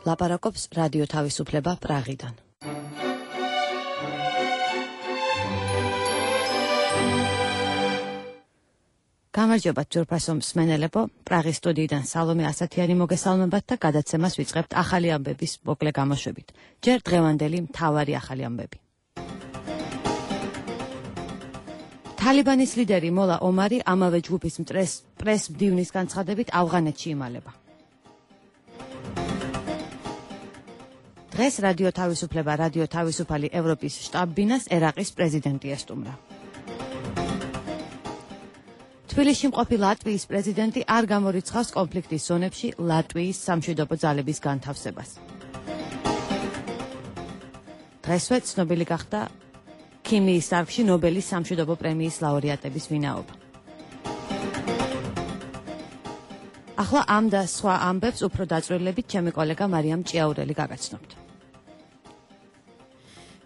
ლაპარაკობს რადიო თავისუფლება პრაღიდან. გამარჯობა ძვირფასო მსმენელებო, პრაღის სტუდიიდან სალომე ასათიანი მოგესალმებათ და გადაცემას ვიწყებთ ახალი ამბების მოკლე გამოშვებით. ჯერ დღევანდელი მთავარი ახალი ამბები. თალიბანის ლიდერი მოლა ომარი ამავე ჯგუფის პრეს მდივნის განცხადებით ავღანეთში იმალება. დღეს რადიო თავისუფლება, რადიო თავისუფალი ევროპის შტაბ-ბინას ერაყის პრეზიდენტი ესტუმრა. თბილისში მყოფი ლატვიის პრეზიდენტი არ გამორიცხავს კონფლიქტის ზონებში ლატვიის სამშვიდობო ძალების განთავსებას. დღესვე ცნობილი გახდა ქიმიის დარგში ნობელის სამშვიდობო პრემიის ლაურეატების ვინაობა. ახლა ამ და სხვა ამბებს უფრო დაწვრილებით ჩემი კოლეგა მარიამ ჭიაურელი გაგაცნობთ.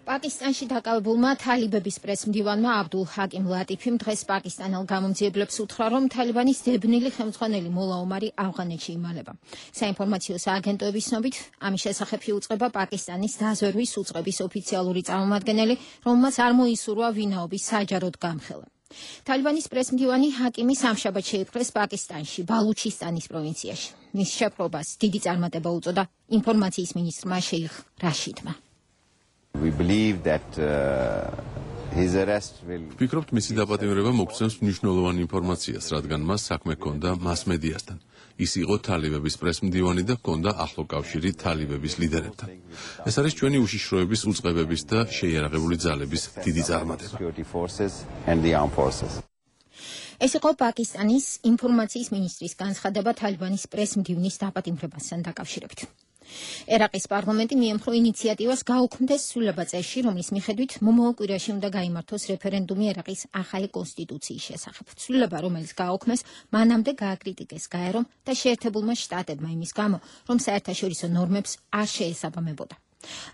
პაკისტანში დაკავებულმა თალიბების პრესმდივანმა აბდულ ჰაკიმ ლატიფიმ დღეს პაკისტანელ გამომძიებლებს უთხრა, რომ თალიბანის ძებნილი ხელმძღვანელი მოლა ომარი ავღანეთში იმალება. საინფორმაციო სააგენტოების ცნობით, ამის შესახებ იუწყება პაკისტანის დაზვერვის უწყების ოფიციალური წარმომადგენელი, რომელმაც არ მოისურვა ვინაობის საჯაროდ გამხელა. თალიბანის პრესმდივანი ჰაკიმი სამშაბათ შეიპყრეს პაკისტანში, ბალუჩისტანის პროვინციაში. მის შეპყრობას დიდი წარმატება უწოდა ინფორმაციის მინისტრმა შეიხ რაშიდმა. ვფიქრობთ, მისი დაპატიმრება მოგცემს მნიშვნელოვან ინფორმაციას, რადგან მას საქმე ჰქონდა მას-მედიასთან. ის იყო თალიბების პრესმდივანი და ჰქონდა ახლო კავშირი თალიბების ლიდერებთან. ეს არის ჩვენი უშიშროების უწყებების და შეიარაღებული ძალების დიდი წარმატება. ეს იყო პაკისტანის ინფორმაციის მინისტრის განცხადება თალიბანის პრესმდივნის დაპატიმრებასთან დაკავშირებით. ერაყის პარლამენტი მიემხრო ინიციატივას გაუქმდეს ცვლილება წესში, რომლის მიხედვით მომავალ კვირაში უნდა გაიმართოს რეფერენდუმი ერაყის ახალი კონსტიტუციის შესახებ. ცვლილება, რომელიც გააუქმეს, მანამდე გააკრიტიკეს გაერომ და შეერთებულმა შტატებმა იმის გამო, რომ საერთაშორისო ნორმებს არ შეესაბამებოდა.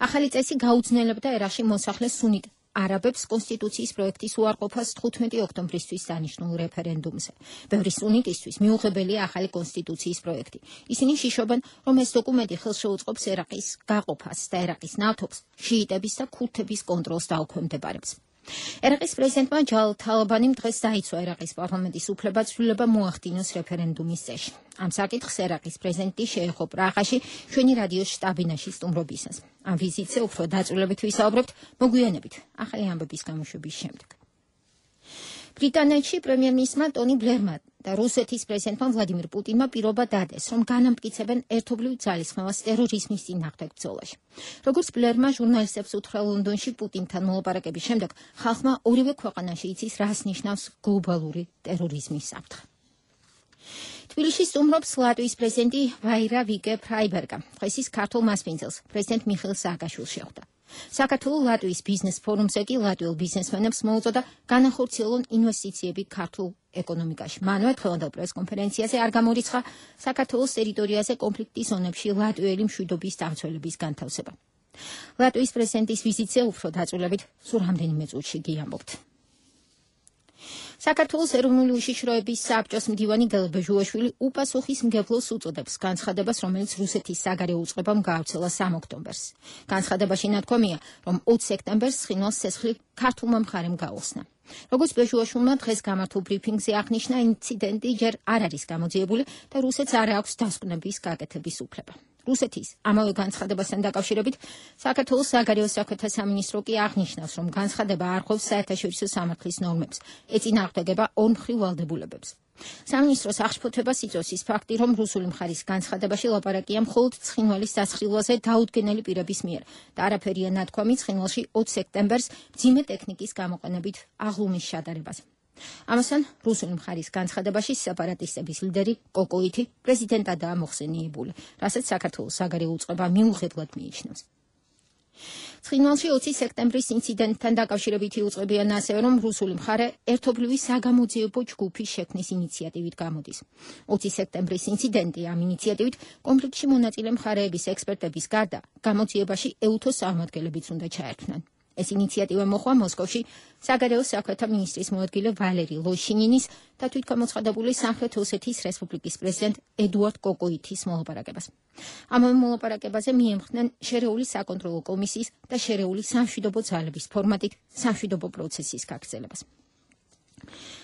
ახალი წესი გაუძნელებდა ერაყში მოსახლე სუნიტ არაბებს კონსტიტუციის პროექტის უარყოფას 15 ოქტომბრისთვის დანიშნულ რეფერენდუმზე. ბევრი სუნიტისთვის მიუღებელია ახალი კონსტიტუციის პროექტი. ისინი შიშობენ, რომ ეს დოკუმენტი ხელს შეუწყობს ერაყის გაყოფას და ერაყის ნავთობს შიიტების და ქურთების კონტროლს დაუქვემდებარებს. ერაყის პრეზიდენტმა ჯალ თალაბანიმ დღეს დაიცვა ერაყის პარლამენტის უფლება ცვლილება მოახდინოს რეფერენდუმის წესში. ამ საკითხს ერაყის პრეზიდენტი შეეხო პრაღაში ჩვენი რადიოს შტაბ-ბინაში სტუმრობისას. ამ ვიზიტზე უფრო დაწვრილებით ვისაუბრებთ მოგვიანებით ახალი ამბების გამოშვების შემდეგ. ბრიტანეთში პრემიერ-მინისტრმა ტონი ბლერმა და რუსეთის პრეზიდენტმა ვლადიმირ პუტინმა პირობა დადეს, რომ განამტკიცებენ ერთობლივ ძალისხმევას ტერორიზმის წინააღმდეგ ბრძოლაში. როგორც ბლერმა ჟურნალისტებს უთხრა ლონდონში პუტინთან მოლაპარაკების შემდეგ, ხალხმა ორივე ქვეყანაში იცის, რას ნიშნავს გლობალური ტერორიზმის საფრთხე. თბილისში სტუმრობს ლატვიის პრეზიდენტი ვაირა ვიკე-ფრაიბერგა. დღეს ის ქართულ მასპინძელს პრეზიდენტ მიხეილ სააკაშვილს შეხვდა. საქართველოს ლატვიის ბიზნეს ფორუმზე კი ლატვიელ ბიზნესმენებს მოუწოდა განახორციელონ ინვესტიციები ქართულ ეკონომიკაში. მანვე დღევანდელ პრესკონფერენციაზე არ გამორიცხა საქართველოს ტერიტორიაზე კონფლიქტის ზონებში ლატვიელი მშვიდობის დამცველების განთავსება. ლატვიის პრეზიდენტის ვიზიტზე უფრო დაწვრილებით სულ რამდენიმე წუთში გიამბობთ. საქართველოს ეროვნული უშიშროების საბჭოს მდივანი გელე ბეჟუაშვილი უპასუხისმგებლოს უწოდებს განცხადებას, რომელიც რუსეთის საგარეო უწყებამ გაავრცელა 3 ოქტომბერს. განცხადებაში ნათქვამია, რომ 20 სექტემბერს ცხინვალს ცეცხლი ქართულმა მხარემ გაუხსნა. როგორც ბეჟუაშვილმა დღეს გამართულ ბრიფინგზე აღნიშნა, ინციდენტი ჯერ არ არის გამოძიებული და რუსეთს არ აქვს დასკვნების გაკეთების უფლება. რუსეთის ამავე განცხადებასთან დაკავშირებით საქართველოს საგარეო საქმეთა სამინისტრო კი აღნიშნავს, რომ განცხადება არ ხვევს საერთაშორისო სამართლის ნორმებს, ეწინააღმდეგება ორმხრივ ვალდებულებებს. სამინისტროს აღშფოთებას იწვევს ის ფაქტი, რომ რუსული მხარის განცხადებაში ლაპარაკია მხოლოდ ცხინვალის დასხილვაზე დაუდგენელი პირების მიერ და არაფერია ნათქვამი ცხინვალში 20 სექტემბერს მძიმე ტექნიკის გამოყენებით აღლუმის შადარებაზე. ამასთან რუსული მხარის განცხადებაში სეპარატისტების ლიდერი კოკოითი პრეზიდენტადაა მოხსენიებული, რასაც საქართველოს საგარეო უწყება მიუღებლად მიიჩნევს. ცხინვალში 20 სექტემბრის ინციდენტთან დაკავშირებით იუწყებიან ასევე, რომ რუსული მხარე ერთობლივი საგამოძიებო ჯგუფის შექმნის ინიციატივით გამოდის. 20 სექტემბრის ინციდენტი ამ ინიციატივით კონფლიქტში მონაწილე მხარეების ექსპერტების გარდა გამოძიებაში ეუთოს წარმომადგენლებიც უნდა ჩაერთვნან. ეს ინიციატივა მოხდა მოსკოვში საგარეო საქმეთა მინისტრის მოადგილე ვალერი ლოშინინის და თვითგამოცხადებული სამხრეთ ოსეთის რესპუბლიკის პრეზიდენტ ედუარდ კოკოითის მოლაპარაკებას. ამავე მოლაპარაკებაზე მიემხრნენ შერეული საკონტროლო კომისიის და შერეული სამშვიდობო ძალების ფორმატით სამშვიდობო პროცესის გაგრძელებას.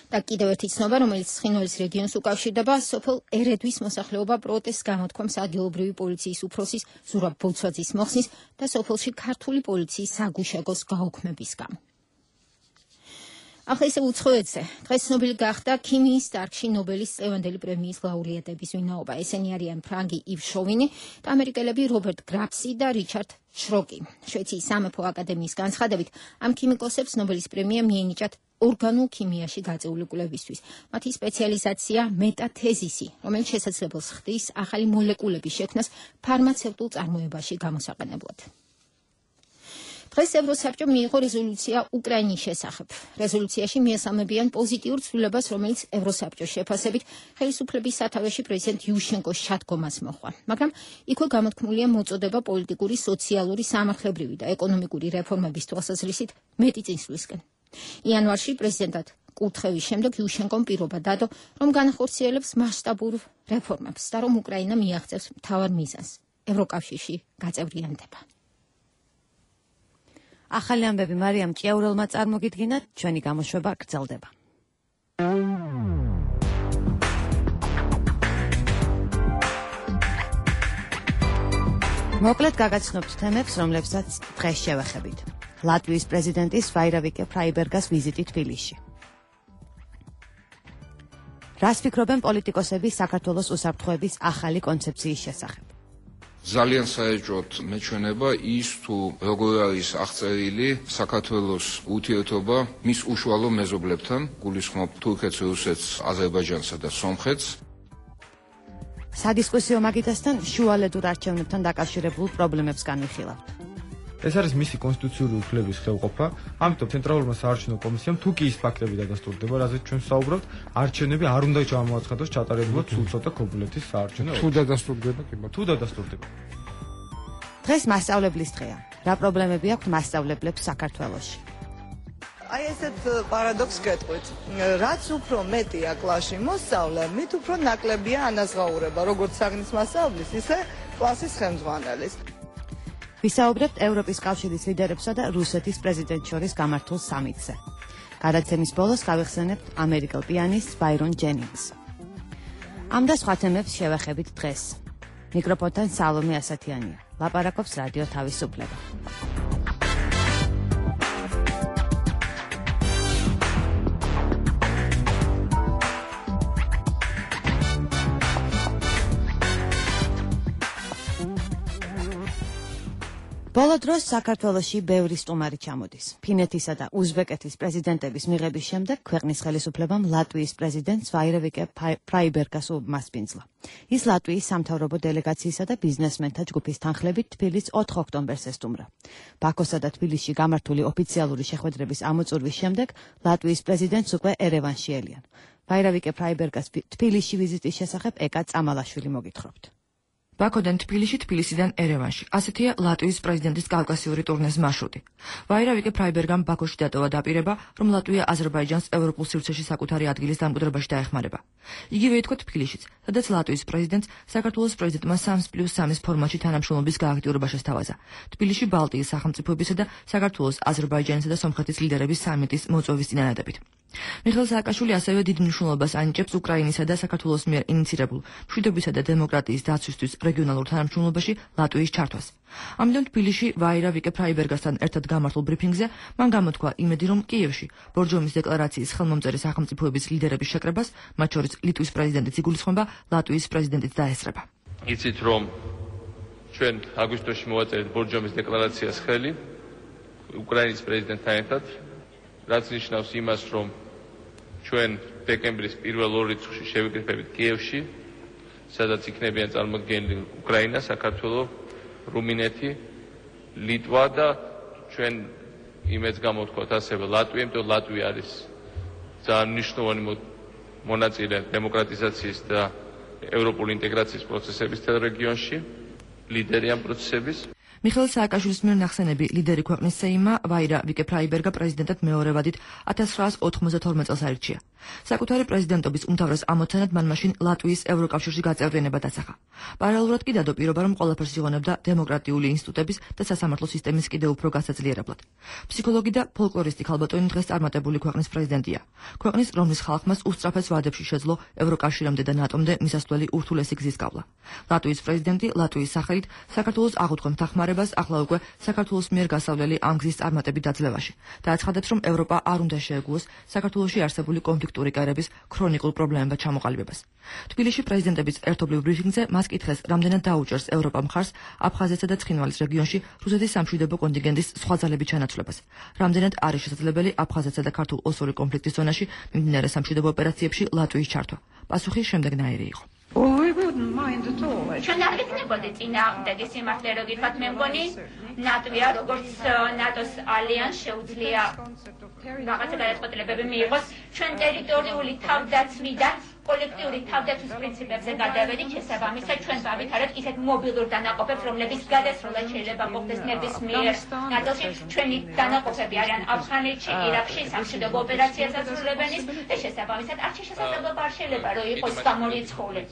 და კიდევ ერთი ცნობა, რომელიც ცხინვალის რეგიონს უკავშირდება, სოფელ ერედვის მოსახლეობა პროტესტს გამოთქვამს ადგილობრივი პოლიციის უფროსის ზურაბ ბოლცვაძის მოხსნის და სოფელში ქართული პოლიციის საგუშაგოს გაუქმების გამო. ახლა ისე უცხოეთზე. დღეს ცნობილი გახდა ქიმიის დარგში ნობელის წლევანდელი პრემიის ლაურეატების ვინაობა. ესენი არიან ფრანგი ივ შოვინი და ამერიკელები რობერტ გრაფსი და რიჩარდ შროკი. შვეიციის სამეფო აკადემიის განცხადებით, ამ ქიმიკოსებს ნობელის პრემია მიენიჭათ ორგანულ ქიმიაში გაწეული კვლევისთვის. მათი სპეციალიზაცია მეტათეზისი, რომელიც შესაძლებელს ხდის ახალი მოლეკულების შექმნას ფარმაცევტულ წარმოებაში გამოსაყენებლად. დღეს ევროსაბჭო მიიღო რეზოლუცია უკრაინის შესახებ. რეზოლუციაში მიესალმებიან პოზიტიურ ცვლილებას, რომელიც ევროსაბჭოს შეფასებით ხელისუფლების სათავეში პრეზიდენტ იუშენკოს შადგომას მოჰყვა. მაგრამ იქვე გამოთქმულია მოწოდება პოლიტიკური, სოციალური, სამართლებრივი და ეკონომიკური რეფორმების თვალსაზრისით მეტი წინსვლისკენ. იანვარში პრეზიდენტად კურთხევის შემდეგ იუშენკომ პირობა დადო, რომ განახორციელებს მასშტაბურ რეფორმებს და რომ უკრაინა მიაღწევს მთავარ მიზანს ევროკავშირში გაწევრიანდება. ახალი ამბები მარიამ ჭიაურელმა წარმოგიდგინათ, ჩვენი გამოშვება გრძელდება. მოკლედ გაგაცნობთ თემებს, რომლებსაც დღეს შევეხებით. ლატვიის პრეზიდენტის ვაირავიკე ფრაიბერგას ვიზიტი თბილისში. რას ფიქრობენ პოლიტიკოსები საქართველოს უსაფრთხოების ახალი კონცეფციის შესახებ? ძალიან საეჭვოდ მეჩვენება ის თუ როგორ არის აღწერილი საქართველოს ურთიერთობა მის უშუალო მეზობლებთან, გულისხმობ თურქეთს, რუსეთს, აზერბაიჯანსა და სომხეთს. სადისკუსიო მაგიდასთან შუალედურ არჩევნებთან დაკავშირებულ პრობლემებს განვიხილავთ. ეს არის მისი კონსტიტუციური უფლების ხელყოფა, ამიტომ ცენტრალურმა საარჩევნო კომისიამ თუ კი ის ფაქტები დადასტურდება, რაზეც ჩვენ საუბრობთ, არჩევნები არ უნდა ჩამოაცხადოს ჩატარებულად სულ ცოტა ქობულეთის საარჩევნო. თუ დადასტურდება, თუ დადასტურდება. დღეს მასწავლებლის დღეა. რა პრობლემები აქვს მასწავლებლებს საქართველოში? აი ესეთ პარადოქს გეტყვით. რაც უფრო მეტია კლასში მოსწავლე, მით უფრო ნაკლებია ანაზღაურება, როგორც საგნის მასწავლებლის, ისე კლასის ხელმძღვანელის. ვისაუბრებთ ევროპის კავშირის ლიდერებსა და რუსეთის პრეზიდენტს შორის გამართულ სამიტზე. გადაცემის ბოლოს გავიხსენებთ ამერიკელ პიანისტს ბაირონ ჯენინგს. ამ და სხვა თემებს შევეხებით დღეს. მიკროფონთან სალომე ასათიანია. ლაპარაკობს რადიო თავისუფლება. ბოლო დროს საქართველოში ბევრი სტუმარი ჩამოდის. ფინეთისა და უზბეკეთის პრეზიდენტების მიღების შემდეგ ქვეყნის ხელისუფლებამ ლატვიის პრეზიდენტს ვაირავიკე ფრაიბერგას უმასპინძლა. ის ლატვიის სამთავრობო დელეგაციისა და ბიზნესმენთა ჯგუფის თანხლებით თბილისს 4 ოქტომბერს ესტუმრა. ბაქოსა და თბილისში გამართული ოფიციალური შეხვედრების ამოწურვის შემდეგ ლატვიის პრეზიდენტს უკვე ერევანში ელიან. ვაირავიკე ფრაიბერგას თბილისში ვიზიტის შესახებ ეკა წამალაშვილი მოგითხრობთ. ბაქოდან თბილისში, თბილისიდან ერევანში. ასეთია ლატვიის პრეზიდენტის კავკასიური ტურნეს მარშრუტი. ვაირავიკე ფრაიბერგამ ბაქოში დატოვა დაპირება, რომ ლატვია აზერბაიჯანს ევროპულ სივრცეში საკუთარი ადგილის დამკვიდრებაში დაეხმარება. იგივე ითქვა თბილისშიც, სადაც ლატვიის პრეზიდენტს საქართველოს პრეზიდენტმა 3+3 ფორმატში თანამშრომლობის გააქტიურება შესთავაზა. თბილისში ბალტიის სახელმწიფოებისა და საქართველოს, აზერბაიჯანისა და სომხეთის ლიდერების სამიტის მოწვევის წინანადებით. მიხეილ სააკაშვილი ასევე დიდ მნიშვნელობას ანიჭებს უკრაინისა და საქართველოს მიერ ინიცირებულ მშვიდობისა და დემოკრატიის დაცვისთვის რეგიონალურ თანამშრომლობაში ლატვიის ჩართვას. ამიტომ თბილისში ვაირავიკე ფრაიბერგასთან ერთად გამართულ ბრიფინგზე მან გამოთქვა იმედი, რომ კიევში ბორჯომის დეკლარაციის ხელმომწერი სახელმწიფოების ლიდერების შეკრებას, მათ შორის ლიტვის პრეზიდენტიც იგულისხმება, ლატვიის პრეზიდენტიც დაესწრება. იცით, რომ ჩვენ აგვისტოში მოვაწერეთ ბორჯომის დეკლარაციას ხელი უკრაინის პრეზიდენტთან ერთად, რაც ნიშნავს იმას, რომ ჩვენ დეკემბრის პირველ 2 რიცხვში შევიკრიფებით კიევში, სადაც იქნებიან წარმოდგენილი უკრაინა, საქართველო, რუმინეთი, ლიტვა და ჩვენ იმედს გამოვთქვათ ასევე ლატვია, იმიტომ ლატვია არის ძალიან მნიშვნელოვანი მონაწილე დემოკრატიზაციის და ევროპული ინტეგრაციის პროცესების თელ რეგიონში, ლიდერი ამ პროცესების. მიხეილ სააკაშვილის მიერ ნახსენები ლიდერი ქვეყნის სეიმმა ვაირა ვიკე-ფრაიბერგა პრეზიდენტად მეორე ვადით 1992 წელს აირჩია. საკუთარი პრეზიდენტობის უმთავრეს ამოცანად მან მაშინ ლატვიის ევროკავშირში გაწევრიანება დასახა. პარალელურად კი დადო პირობა, რომ ყველაფერს იღონებდა დემოკრატიული ინსტიტუტების და სასამართლო სისტემის კიდევ უფრო გასაძლიერებლად. ფსიქოლოგი და ფოლკლორისტი ქალბატონი დღეს წარმატებული ქვეყნის პრეზიდენტია. ქვეყნის, რომლის ხალხმას უსწრაფეს ვადებში შეძლო ევროკავშირამდე და ნატომდე მისასვლელი ურთულესი გზის გავლა. ლატვიის პრეზიდენტი ლატვიის სახელით საქართველოს აღუთქვამს დახმარებას ახლა უკვე საქართველოს მიერ გასავლელი ამ გზის წარმატებით დაძლევაში და აცხადებს, რომ ევროპა არ უნდა შეეგუოს საქართველოში არსებული კონფლიქტური კერების ქრონიკულ პრობლემებად ჩამოყალიბებას. თბილისში პრეზიდენტების ერთობლივ ბრიფინგზე მას კითხეს, რამდენად დაუჭერს ევროპა მხარს აფხაზეთსა და ცხინვალის რეგიონში რუსეთის სამშვიდობო კონტინგენტის სხვა ძალების ჩანაცვლებას. რამდენად არის შესაძლებელი აფხაზეთსა და ქართულ ოსური კონფლიქტის ზონაში მიმდინარე სამშვიდობო ოპერაციებში ლატვიის ჩართვა. პასუხი შემდეგნაირი იყო. ჩვენ არ გეცნობოდი წინააღმდეგი სიმართლე რო გითხრათ, მე მგონი ლატვია როგორც ნატოს ალიანს შეუძლია რაღაცა გადაწყვეტილებები მიიღოს ჩვენ ტერიტორიული თავდაცვიდან კოლექტიური თავდაცვის პრინციპებზე გადავედით, შესაბამისად ჩვენ გავითარეთ ისეთ მობილურ დანაყოფებს, რომლებიც გადასროლა შეიძლება მოხდეს ნებისმიერ ნაწილში. ჩვენი დანაყოფები არიან ავღანეთში, ირაკში, სამშვიდობო ოპერაციას ასრულებენ და შესაბამისად არჩი შესაძლებლობა არ შეიძლება რომ იყოს გამორიცხული.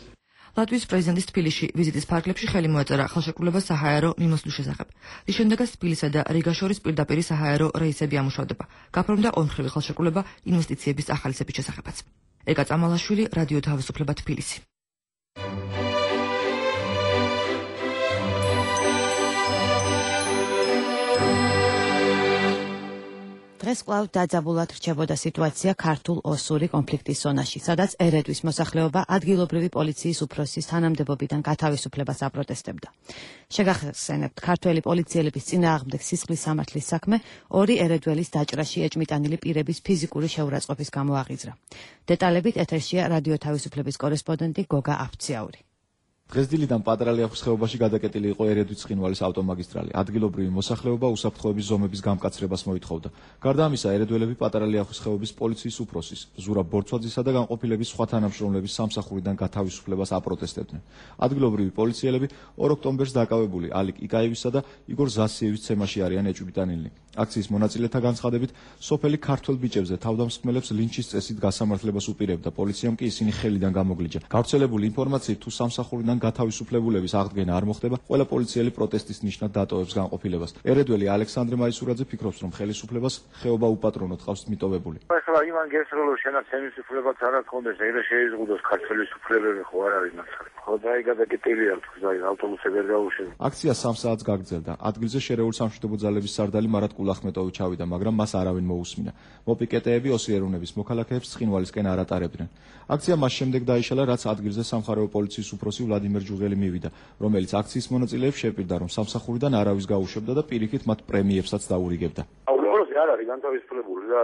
ლატვიის პრეზიდენტის თბილისში ვიზიტის ფარგლებში ხელი მოეწერა ხელშეკრულება საჰაერო მიმოსვლის შესახებ. რის შემდეგაც თბილისსა და რიგას შორის პირდაპირ საჰაერო რეისები ამუშავდება. გაფორმდა ორმხრივი ხელშეკრულება ინვესტიციების ახალისების შესახებაც. ეკა წამალაშვილი, რადიო თავისუფლება, თბილისი. დღეს კვლავ დაძაბულად რჩებოდა სიტუაცია ქართულ ოსური კონფლიქტის ზონაში, სადაც ერედვის მოსახლეობა ადგილობრივი პოლიციის უფროსის თანამდებობიდან გათავისუფლებას აპროტესტებდა. შეგახსენებთ, ქართველი პოლიციელების წინააღმდეგ სისხლის სამართლის საქმე ორი ერედველის დაჭრაში ეჭმიტანილი პირების ფიზიკური შეურაცხყოფის გამო აღიძრა. დეტალებით ეთერშია რადიო თავისუფლების კორესპონდენტი გოგა აფციაური. დღეს დილიდან პატრალიახის ხეობაში გადაკეტილი იყო ერედვის ცხინვალის ავტომაგისტრალი. ადგილობრივი მოსახლეობა უსაფრთხოების ზომების გამკაცრებას მოითხოვდა. გარდა ამისა, ერედველები პატრალიახის ხეობის პოლიციის უფროსის ზურაბ ბორცვაძისა და განყოფილების სხვა თანამშრომლების სამსახურიდან გათავისუფლებას აპროტესტებდნენ. ადგილობრივი პოლიციელები 2 ოქტომბერს დაკავებული ალიკ იკაევისა და იგორ ზასიევის ცემაში არიან ეჭვმიტანილნი. აქციის მონაწილეთა განცხადებით, სოფელი ქართველ ბიჭებზე თავდამსხმელებს ლინჩის წესით გასამართლებას უპირებდა. პოლიციამ კი ისინი ხელიდან გამოგლიჯა. გავრცელებული ინფორმაციით, თუ სამსახურიდან გათავისუფლებულების აღდგენა არ მოხდება, ყველა პოლიციელი პროტესტის ნიშნად დატოვებს განყოფილებას. ერედველი ალექსანდრე მაისურაძე ფიქრობს, რომ ხელისუფლებას ხეობა უპატრონოდ ყავს მიტოვებული. ახლა იმან გესროლო შენაც ხელისუფლებას არ აქვს, ეგრე შეიზღუდოს ქართველის უფლებები ხო არ არის მასალა. ხო დაი გადაკეტილია თქვა ავტობუსები ვერ გაუშვება. აქცია 3 საათს გაგრძელდა. ადგილზე შერეული სამშვიდობო ძალების სარდალი მარატ კულახმეტოვი ჩავიდა, მაგრამ მას არავინ მოусმინა. მოპიკეტეები ოსიერუნების მოქალაქეებს ცხინვალისკენ არ ატარებდნენ. აქცია მას შემდეგ დაიშალა, რაც ადგილზე სამხარეო პოლიციის უფროსი ვლადიმერ ჯუღელი მივიდა, რომელიც აქციის მონაწილეებს შეპირდა, რომ სამსახურიდან არავის გაუშვებდა და პირიქით მათ პრემიებსაც დაურიგებდა. არ არის განთავისუფლებული და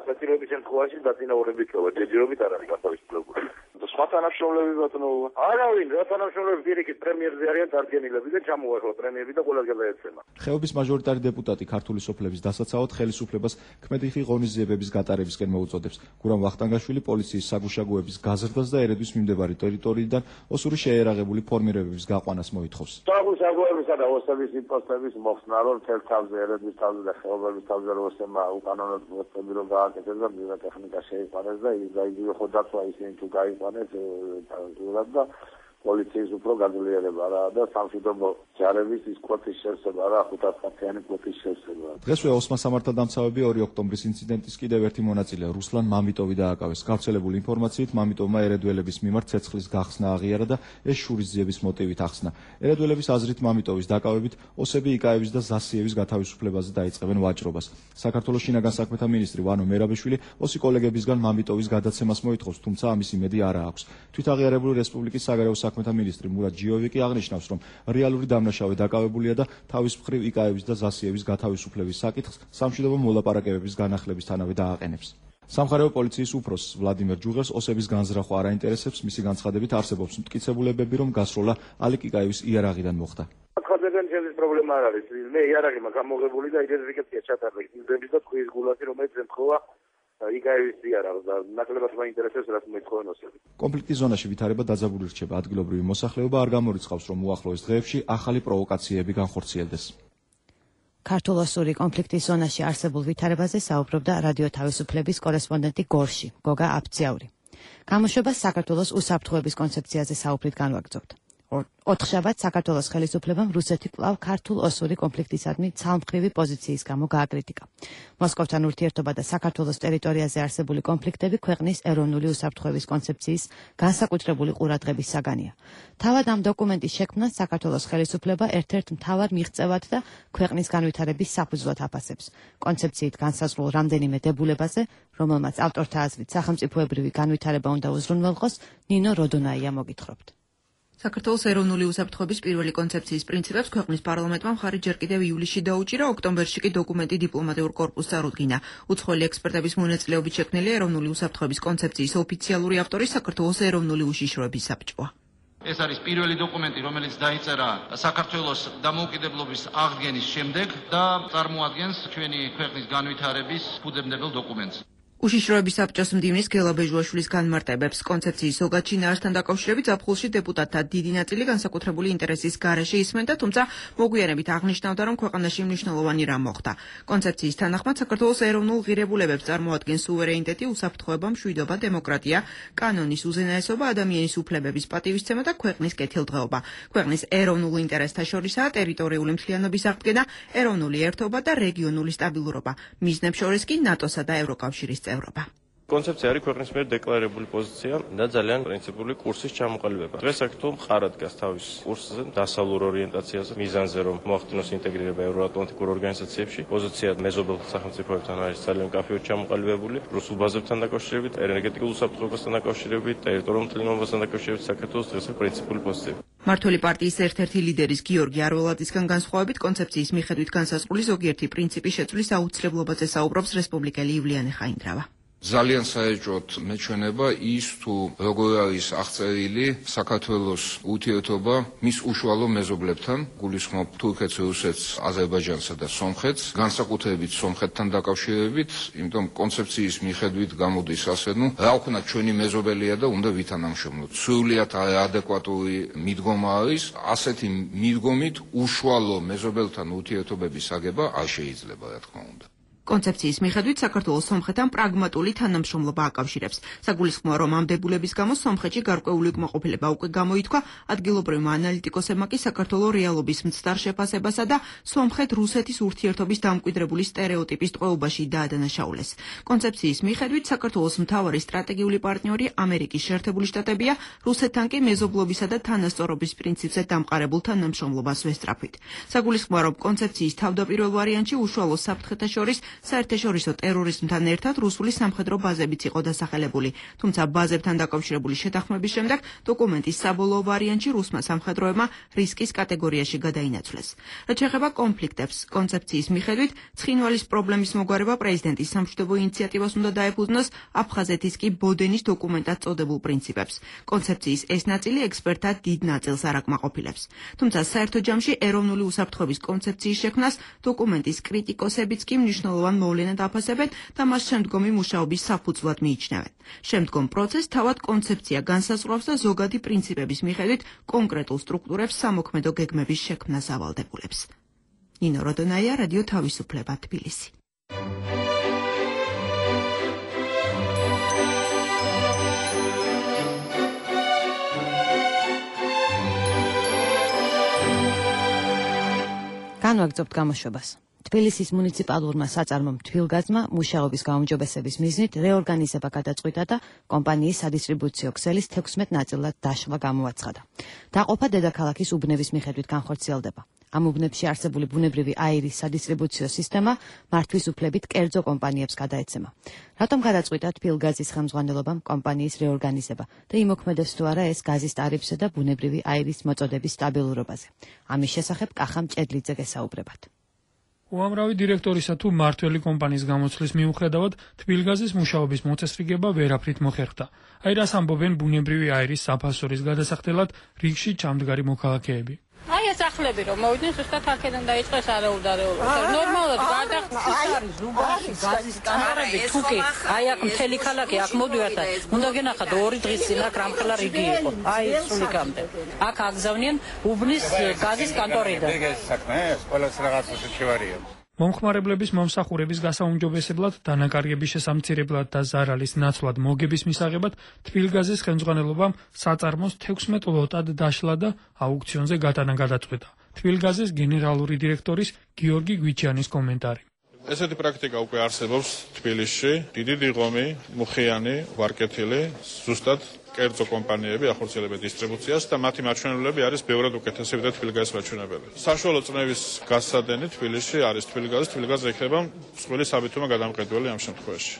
საჭიროების შემთხვევაში დაწინაურებით იქნება, ჯერჯერობით არ არის განთავისუფლებული. სხვა თანამშრომლები ბატონო, არავინ, რა თანამშრომლები პირიქით პრემიერზე არიან დარგენილები და ჩამოეხლა პრემიები და ყველა გადაეცემა. ხეობის მაჟორიტარი დეპუტატი ქართული სოფლების დასაცავად ხელისუფლებას ქმედიხი ღონისძიებების გატარებისკენ მოუწოდებს. გურამ ვახტანგაშვილი პოლიციის საგუშაგოების გაზრდას და ერედვის მიმდებარი ტერიტორიიდან ოსური შეერაღებული ფორმირებების გაყვანას მოითხოვს. საგუშაგოებისა და ოსების იმპოსტების მოხსნა, რომ თელ თავზე ერედვის თავზე და ხეობების თავზე ოსებმა უკანონოდ მოსწები რომ გააკეთეს და ბიოტექნიკა შეიყვანეს და ის გაიგივე ხო დაცვა ისინი თუ გაიყვანეს და პოლიციის უფრო გაძლიერება რა და სამშვიდობო ჯარების ის კვეთის შევსება რა 500-მდიანი კვეთის შევსება. დღესვე ოსმა სამართალდამცავები 2 ოქტომბრის ინციდენტის კიდევ ერთი მონაწილე რუსლან მამიტოვი დააკავეს. გავრცელებული ინფორმაციით მამიტოვმა ერედველების მიმართ ცეცხლის გახსნა აღიარა და ეს შურისძიების მოტივით ახსნა. ერედველების აზრით მამიტოვის დაკავებით ოსები იკაევის და ზასიევის გათავისუფლებაზე დაიწყებენ ვაჭრობას. საქართველოს შინაგან საქმეთა მინისტრი ვანო მერაბიშვილი ოსი კოლეგებისგან მამიტოვის გადაცემას მოითხოვს, თუმცა ამის იმედი არ აქვს. თვითაღიარებული რესპუბლიკის საგარეო საქმეთა მინისტრი მურატ ჯიოვიკი აღნიშნავს, რომ რეალური დამნაშავე დაკავებულია და თავის მხრივ იკაევის და ზასიევის გათავისუფლების საკითხს სამშვიდობო მოლაპარაკებების განახლებისთანავე დააყენებს. სამხარეო პოლიციის უფროსს ვლადიმერ ჯუღელს ოსების განზრახვა არ აინტერესებს, მისი განცხადებით არსებობს მტკიცებულებები, რომ გასროლა ალიკ იკაევის იარაღიდან მოხდა. ხაზებენ ჩემს პრობლემა არ არის. მე იარაღი მაქვს ამოღებული და იდენტიფიკაცია ჩატარდა. იმდენიც და თქვის გულაში, რომელიც ემთხოვა იგაევის ზიარავს და ნაკლებად მაინტერესებს რაც მოითხოვენ ოსები. კონფლიქტის ზონაში ვითარება დაძაბული რჩება, ადგილობრივი მოსახლეობა არ გამორიცხავს, რომ უახლოეს დღეებში ახალი პროვოკაციები განხორციელდეს. ქართულ-ოსური კონფლიქტის ზონაში არსებულ ვითარებაზე საუბრობდა რადიო თავისუფლების კორესპონდენტი გორში, გოგა აფციაური. გამოშვებას საქართველოს უსაფრთხოების კონცეფციაზე საუბრით განვაგრძობთ. ოთხშაბათს საქართველოს ხელისუფლებამ რუსეთი კვლავ ქართულ-ოსური კონფლიქტისადმი ცალმხრივი პოზიციის გამო გააკრიტიკა. მოსკოვთან ურთიერთობა და საქართველოს ტერიტორიაზე არსებული კონფლიქტები ქვეყნის ეროვნული უსაფრთხოების კონცეფციის განსაკუთრებული ყურადღების საგანია. თავად ამ დოკუმენტის შექმნას საქართველოს ხელისუფლება ერთ-ერთ მთავარ მიღწევად და ქვეყნის განვითარების საფუძვლად აფასებს. კონცეფციით განსაზღვრულ რამდენიმე დებულებაზე, რომელმაც ავტორთა აზრით სახელმწიფოებრივი განვითარება უნდა უზრუნველყოს, ნინო როდონაია მოგითხრობთ. საქართველოს ეროვნული უსაფრთხოების პირველი კონცეფციის პრინციპებს ქვეყნის პარლამენტმა მხარი ჯერ კიდევ ივლისში დაუჭირა, ოქტომბერში კი დოკუმენტი დიპლომატიურ კორპუსს წარუდგინა. უცხოელი ექსპერტების მონაწილეობით შექმნილი ეროვნული უსაფრთხოების კონცეფციის ოფიციალური ავტორი საქართველოს ეროვნული უშიშროების საბჭოა. ეს არის პირველი დოკუმენტი, რომელიც დაიწერა საქართველოს დამოუკიდებლობის აღდგენის შემდეგ და წარმოადგენს ჩვენი ქვეყნის განვითარების ფუძემდებელ დოკუმენტს. უშიშროების საბჭოს მდივნის გელა ბეჟუაშვილის განმარტებებს კონცეფციის ზოგად შინაარსთან დაკავშირებით ზაფხულში დეპუტატთა დიდი ნაწილი განსაკუთრებული ინტერესის გარეშე ისმენდა, თუმცა მოგვიანებით აღნიშნავდა, რომ ქვეყანაში მნიშვნელოვანი რამ მოხდა. კონცეფციის თანახმად საქართველოს ეროვნულ ღირებულებებს წარმოადგენს სუვერენიტეტი, უსაფრთხოება, მშვიდობა, დემოკრატია, კანონის უზენაესობა, ადამიანის უფლებების პატივისცემა და ქვეყნის კეთილდღეობა. ქვეყნის ეროვნულ ინტერესთა შორისაა ტერიტორიული მთლიანობის აღდგენა, ეროვნული ერთობა და რეგიონული სტაბილურობა. მიზნებს შორის კი ნატოსა და ევროკავშირის ევროპა. კონცეფცია არის ქვეყნის მიერ დეკლარირებული პოზიცია და ძალიან პრინციპული კურსის ჩამოყალიბება. დღეს საქართველო მყარად დგას თავის კურსზე, დასავლურ ორიენტაციაზე, მიზანზე, რომ მოახდინოს ინტეგრირება ევროატლანტიკურ ორგანიზაციებში. პოზიცია მეზობელ სახელმწიფოებთან არის ძალიან მკაფიოდ ჩამოყალიბებული, რუსულ ბაზებთან დაკავშირებით, ენერგეტიკულ უსაფრთხოებასთან დაკავშირებით, ტერიტორიულ მთლიანობასთან დაკავშირებით საქართველოს დღეს პრინციპული პოზიციები. მართველი პარტიის ერთ-ერთი ლიდერის გიორგი არველაძისგან განსხვავებით კონცეფციის მიხედვით განსაზღვრული ზოგიერთი პრინციპი შეცვლის აუცილებლობაზე საუბრობს რესპუბლიკელი ივლიანე ხაინდრავა. ძალიან საეჭვოდ მეჩვენება ის თუ როგორ არის აღწერილი საქართველოს ურთიერთობა მის უშუალო მეზობლებთან, გულისხმობ თურქეთს, რუსეთს, აზერბაიჯანსა და სომხეთს, განსაკუთრებით სომხეთთან დაკავშირებით, იმიტომ კონცეფციის მიხედვით გამოდის ასე, რა ვქნათ ჩვენი მეზობელია და უნდა ვითანამშრომლოთ. სრულიად ადეკვატური მიდგომა არის, ასეთი მიდგომით უშუალო მეზობელთან ურთიერთობების აგება არ შეიძლება, რა თქმა უნდა. კონცეფციის მიხედვით საქართველოს სომხეთთან პრაგმატული თანამშრომლობა აკავშირებს. საგულისხმოა, რომ ამ დებულების გამო სომხეთში გარკვეული უკმაყოფილება უკვე გამოითქვა, ადგილობრივმა ანალიტიკოსებმა კი საქართველოს რეალობის მცდარ შეფასებასა და სომხეთ-რუსეთის ურთიერთობის დამკვიდრებული სტერეოტიპის ტყვეობაში დაადანაშაულეს. კონცეფციის მიხედვით საქართველოს მთავარი სტრატეგიული პარტნიორი ამერიკის შეერთებული შტატებია, რუსეთთან კი მეზობლობისა და თანასწორობის პრინციპზე დამყარებულ თანამშრომლობას ვესწრაფვით. საგულისხმოა, რომ კონცეფციის თავდაპირველ ვარიანტში უშუალო საფრთხეთა შორის საერთაშორისო ტერორიზმთან ერთად რუსული სამხედრო ბაზებიც იყო დასახელებული, თუმცა ბაზებთან დაკავშირებული შეთანხმების შემდეგ დოკუმენტის საბოლოო ვარიანტში რუსმა სამხედროებმა რისკის კატეგორიაში გადაინაცვლეს. რაც შეეხება კონფლიქტებს, კონცეფციის მიხედვით ცხინვალის პრობლემის მოგვარება პრეზიდენტის სამშვიდობო ინიციატივას უნდა დაეფუძნოს, აფხაზეთის კი ბოდენის დოკუმენტად წოდებულ პრინციპებს. კონცეფციის ეს ნაწილი ექსპერტთა დიდ ნაწილს არ აკმაყოფილებს. თუმცა საერთო ჯამში ეროვნული უსაფრთხოების კონცეფციის შექმნას დოკუმენტის კრიტიკოსებიც კი მნიშვნელოვან მოვლენად აფასებენ და მას შემდგომი მუშაობის საფუძვლად მიიჩნევენ. შემდგომ პროცესს თავად კონცეფცია განსაზღვრავს და ზოგადი პრინციპების მიხედვით კონკრეტულ სტრუქტურებს სამოქმედო გეგმების შექმნას ავალდებულებს. ნინო როდონაია, რადიო თავისუფლება, თბილისი. განვაგრძობთ გამოშვებას. თბილისის მუნიციპალურმა საწარმომ თბილგაზმა მუშაობის გაუმჯობესების მიზნით რეორგანიზება გადაწყვიტა და კომპანიის სადისტრიბუციო ქსელის 16 ნაწილად დაშლა გამოაცხადა. დაყოფა დედაქალაქის უბნების მიხედვით განხორციელდება. ამ უბნებში არსებული ბუნებრივი აირის სადისტრიბუციო სისტემა მართვის უფლებით კერძო კომპანიებს გადაეცემა. რატომ გადაწყვიტა თბილგაზის ხელმძღვანელობამ კომპანიის რეორგანიზება და იმოქმედებს თუ არა ეს გაზის ტარიფსა და ბუნებრივი აირის მოწოდების სტაბილურობაზე. ამის შესახებ კახა მჭედლიძე გესაუბრებათ. უამრავი დირექტორისა თუ მმართველი კომპანიის გამოცვლის მიუხედავად თბილგაზის მუშაობის მოწესრიგება ვერაფრით მოხერხდა. აი რას ამბობენ ბუნებრივი აირის საფასურის გადასახდელად რიგში ჩამდგარი მოქალაქეები. აი ეს ახლები რომ მოვიდნენ ზუსტად აქედან დაიწყეს არაუდარეობა. ნორმალურად გადახდის არის ზუბაში გაზის კანონები თუკი აი აქ მთელი ქალაქი აქ მოდიოთ და უნდა გენახათ 2 დღის წინ აქ რამხელა რიგი იყო. აი სულიკამდე. აქ აგზავნიან უბნის გაზის კანტორიდან. ეს საქმე ეს ყველას რაღაცა შევარია. მომხმარებლების მომსახურების გასაუმჯობესებლად, დანაკარგების შესამცირებლად და ზარალის ნაცვლად მოგების მისაღებად თბილგაზის ხელმძღვანელობამ საწარმოს 16 ლოტად დაშლა და აუქციონზე გატანა გადაწყვეტა. თბილგაზის გენერალური დირექტორის გიორგი გვიჩიანის კომენტარი. ესეთი პრაქტიკა უკვე არსებობს თბილისში, დიდი დიღომი, მუხიანი, ვარკეთილი, ზუსტად კერძო კომპანიები ახორციელებენ დისტრიბუციას და მათი მაჩვენებლები არის ბევრად უკეთესი ვიდრე თბილგაზის მაჩვენებლები. საშუალო წნევის გასადენი თბილისში არის თბილგაზი იქნება მსხვილი საბითუმო გადამყიდველი ამ შემთხვევაში.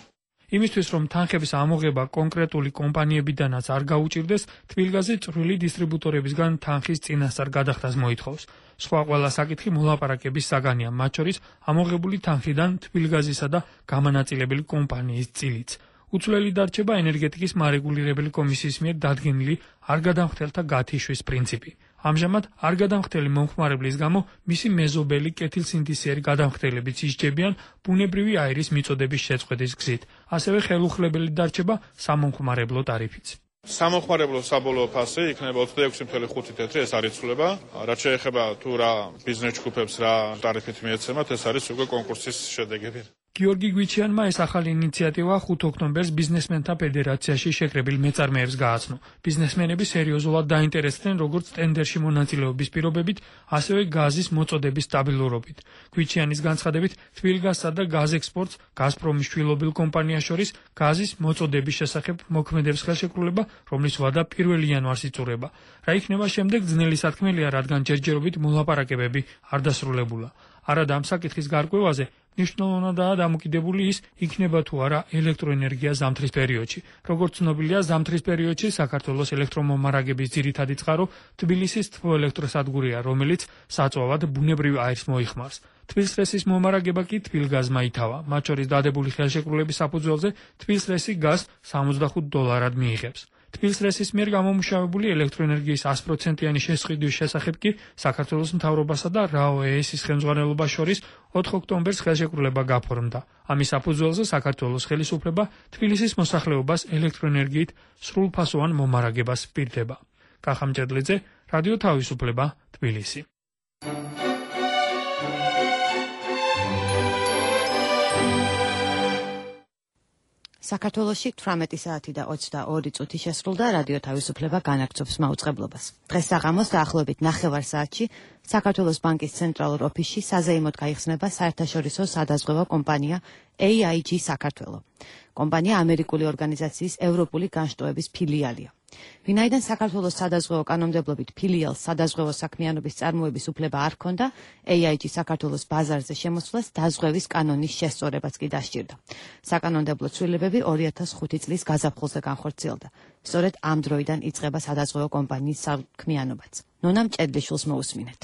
იმისთვის რომ თანხების ამოღება კონკრეტული კომპანიებიდანაც არ გაუჭირდეს, თბილგაზი წვრილი დისტრიბუტორებისგან თანხის წინასწარ გადახდას მოითხოვს. სხვა ყველა საკითხი მოლაპარაკების საგანია, მათ შორის ამოღებული თანხიდან თბილგაზისა და გამანაწილებელი კომპანიის წილიც. უცვლელი დარჩება ენერგეტიკის მარეგულირებელი კომისიის მიერ დადგენილი არ გადამხდელთა გათიშვის პრინციპი. ამჟამად არ გადამხდელი მომხმარებლის გამო მისი მეზობელი კეთილსინთეზიერი გადამხდებლებიც ისჯებიან ბუნებრივი აირის მიწოდების შეწყვეტის გზით. ასევე ხელუხლებელი დარჩება სამომხმარებლო ტარიფიც. სამომხმარებლო საბოლოო ფასი იქნება 26.5 თეთრი, ეს არის ცვლილება. რაც შეეხება თუ რა ბიზნეს ჯგუფებს რა ტარიფით მიეცემათ, ეს არის უკვე კონკურსის შედეგები. გიორგი გვიჩიანმა ეს ახალი ინიციატივა 5 ოქტომბერს ბიზნესმენთა ფედერაციაში შეკრებილ მეწარმეებს გააცნო. ბიზნესმენები სერიოზულად დაინტერესდნენ როგორც ტენდერში მონაწილეობის პირობებით, ასევე გაზის მოწოდების სტაბილურობით. გვიჩიანის განცხადებით, თბილგაზსა და გაზექსპორტს გაზპრომის შვილობილ კომპანიას შორის გაზის მოწოდების შესახებ მოქმედებს ხელშეკრულება, რომლის ვადა 1 იანვარს იწურება. რა იქნება შემდეგ ძნელი სათქმელია, რადგან ჯერჯერობით მოლაპარაკებები არ დასრულებულა. არადა ამ საკითხის გარკვევაზე მნიშვნელოვნადაა დამოკიდებული ის, იქნება თუ არა ელექტროენერგია ზამთრის პერიოდში. როგორც ცნობილია, ზამთრის პერიოდში საქართველოს ელექტრომომარაგების ძირითადი წყარო თბილისის თბოელექტროსადგურია, რომელიც საწვავად ბუნებრივ აირს მოიხმარს. თბილსრესის მომარაგება კი თბილგაზმა ითავა. მათ შორის დადებული ხელშეკრულების საფუძველზე თბილსრესი გაზს $65 მიიღებს. თბილსრესის მიერ გამომუშავებული ელექტროენერგიის 100%-იანი შესყიდვის შესახებ კი საქართველოს მთავრობასა და RAO-ს ხელმძღვანელობას შორის 4 ოქტომბერს ხელშეკრულება გაფორმდა. ამის საფუძველზე საქართველოს ხელისუფლება თბილისის მოსახლეობას ელექტროენერგიით სრულფასოვან მომარაგებას პირდება. კახამჭედლიძე, რადიო თავისუფლება, თბილისი. საქართველოში 18 საათი და 22 წუთი შესრულდა, რადიო თავისუფლება განაგრძობს მაუწყებლობას. დღეს საღამოს დაახლოებით 9 საათში საქართველოს ბანკის ცენტრალურ ოფისში საზეიმოდ გაიხსნება საერთაშორისო სადაზღვევო კომპანია AIG საქართველო. კომპანია ამერიკული ორგანიზაციის ევროპული განშტოების ფილიალია. ვინაიდან საქართველოს სადაზღვევო კანონმდებლობით ფილიალს სადაზღვევო საქმიანობის წარმოების უფლება არ ჰქონდა, AIG საქართველოს ბაზარზე შემოსვლას დაზღვევის კანონის შესწორებაც კი დასჭირდა. საკანონმდებლო ცვლილებები 2005 წლის გაზაფხულზე განხორციელდა. სწორედ ამ დროიდან იწყება სადაზღვევო კომპანიის საქმიანობაც. ნონა მჭედლიშვილს მოусმინეთ.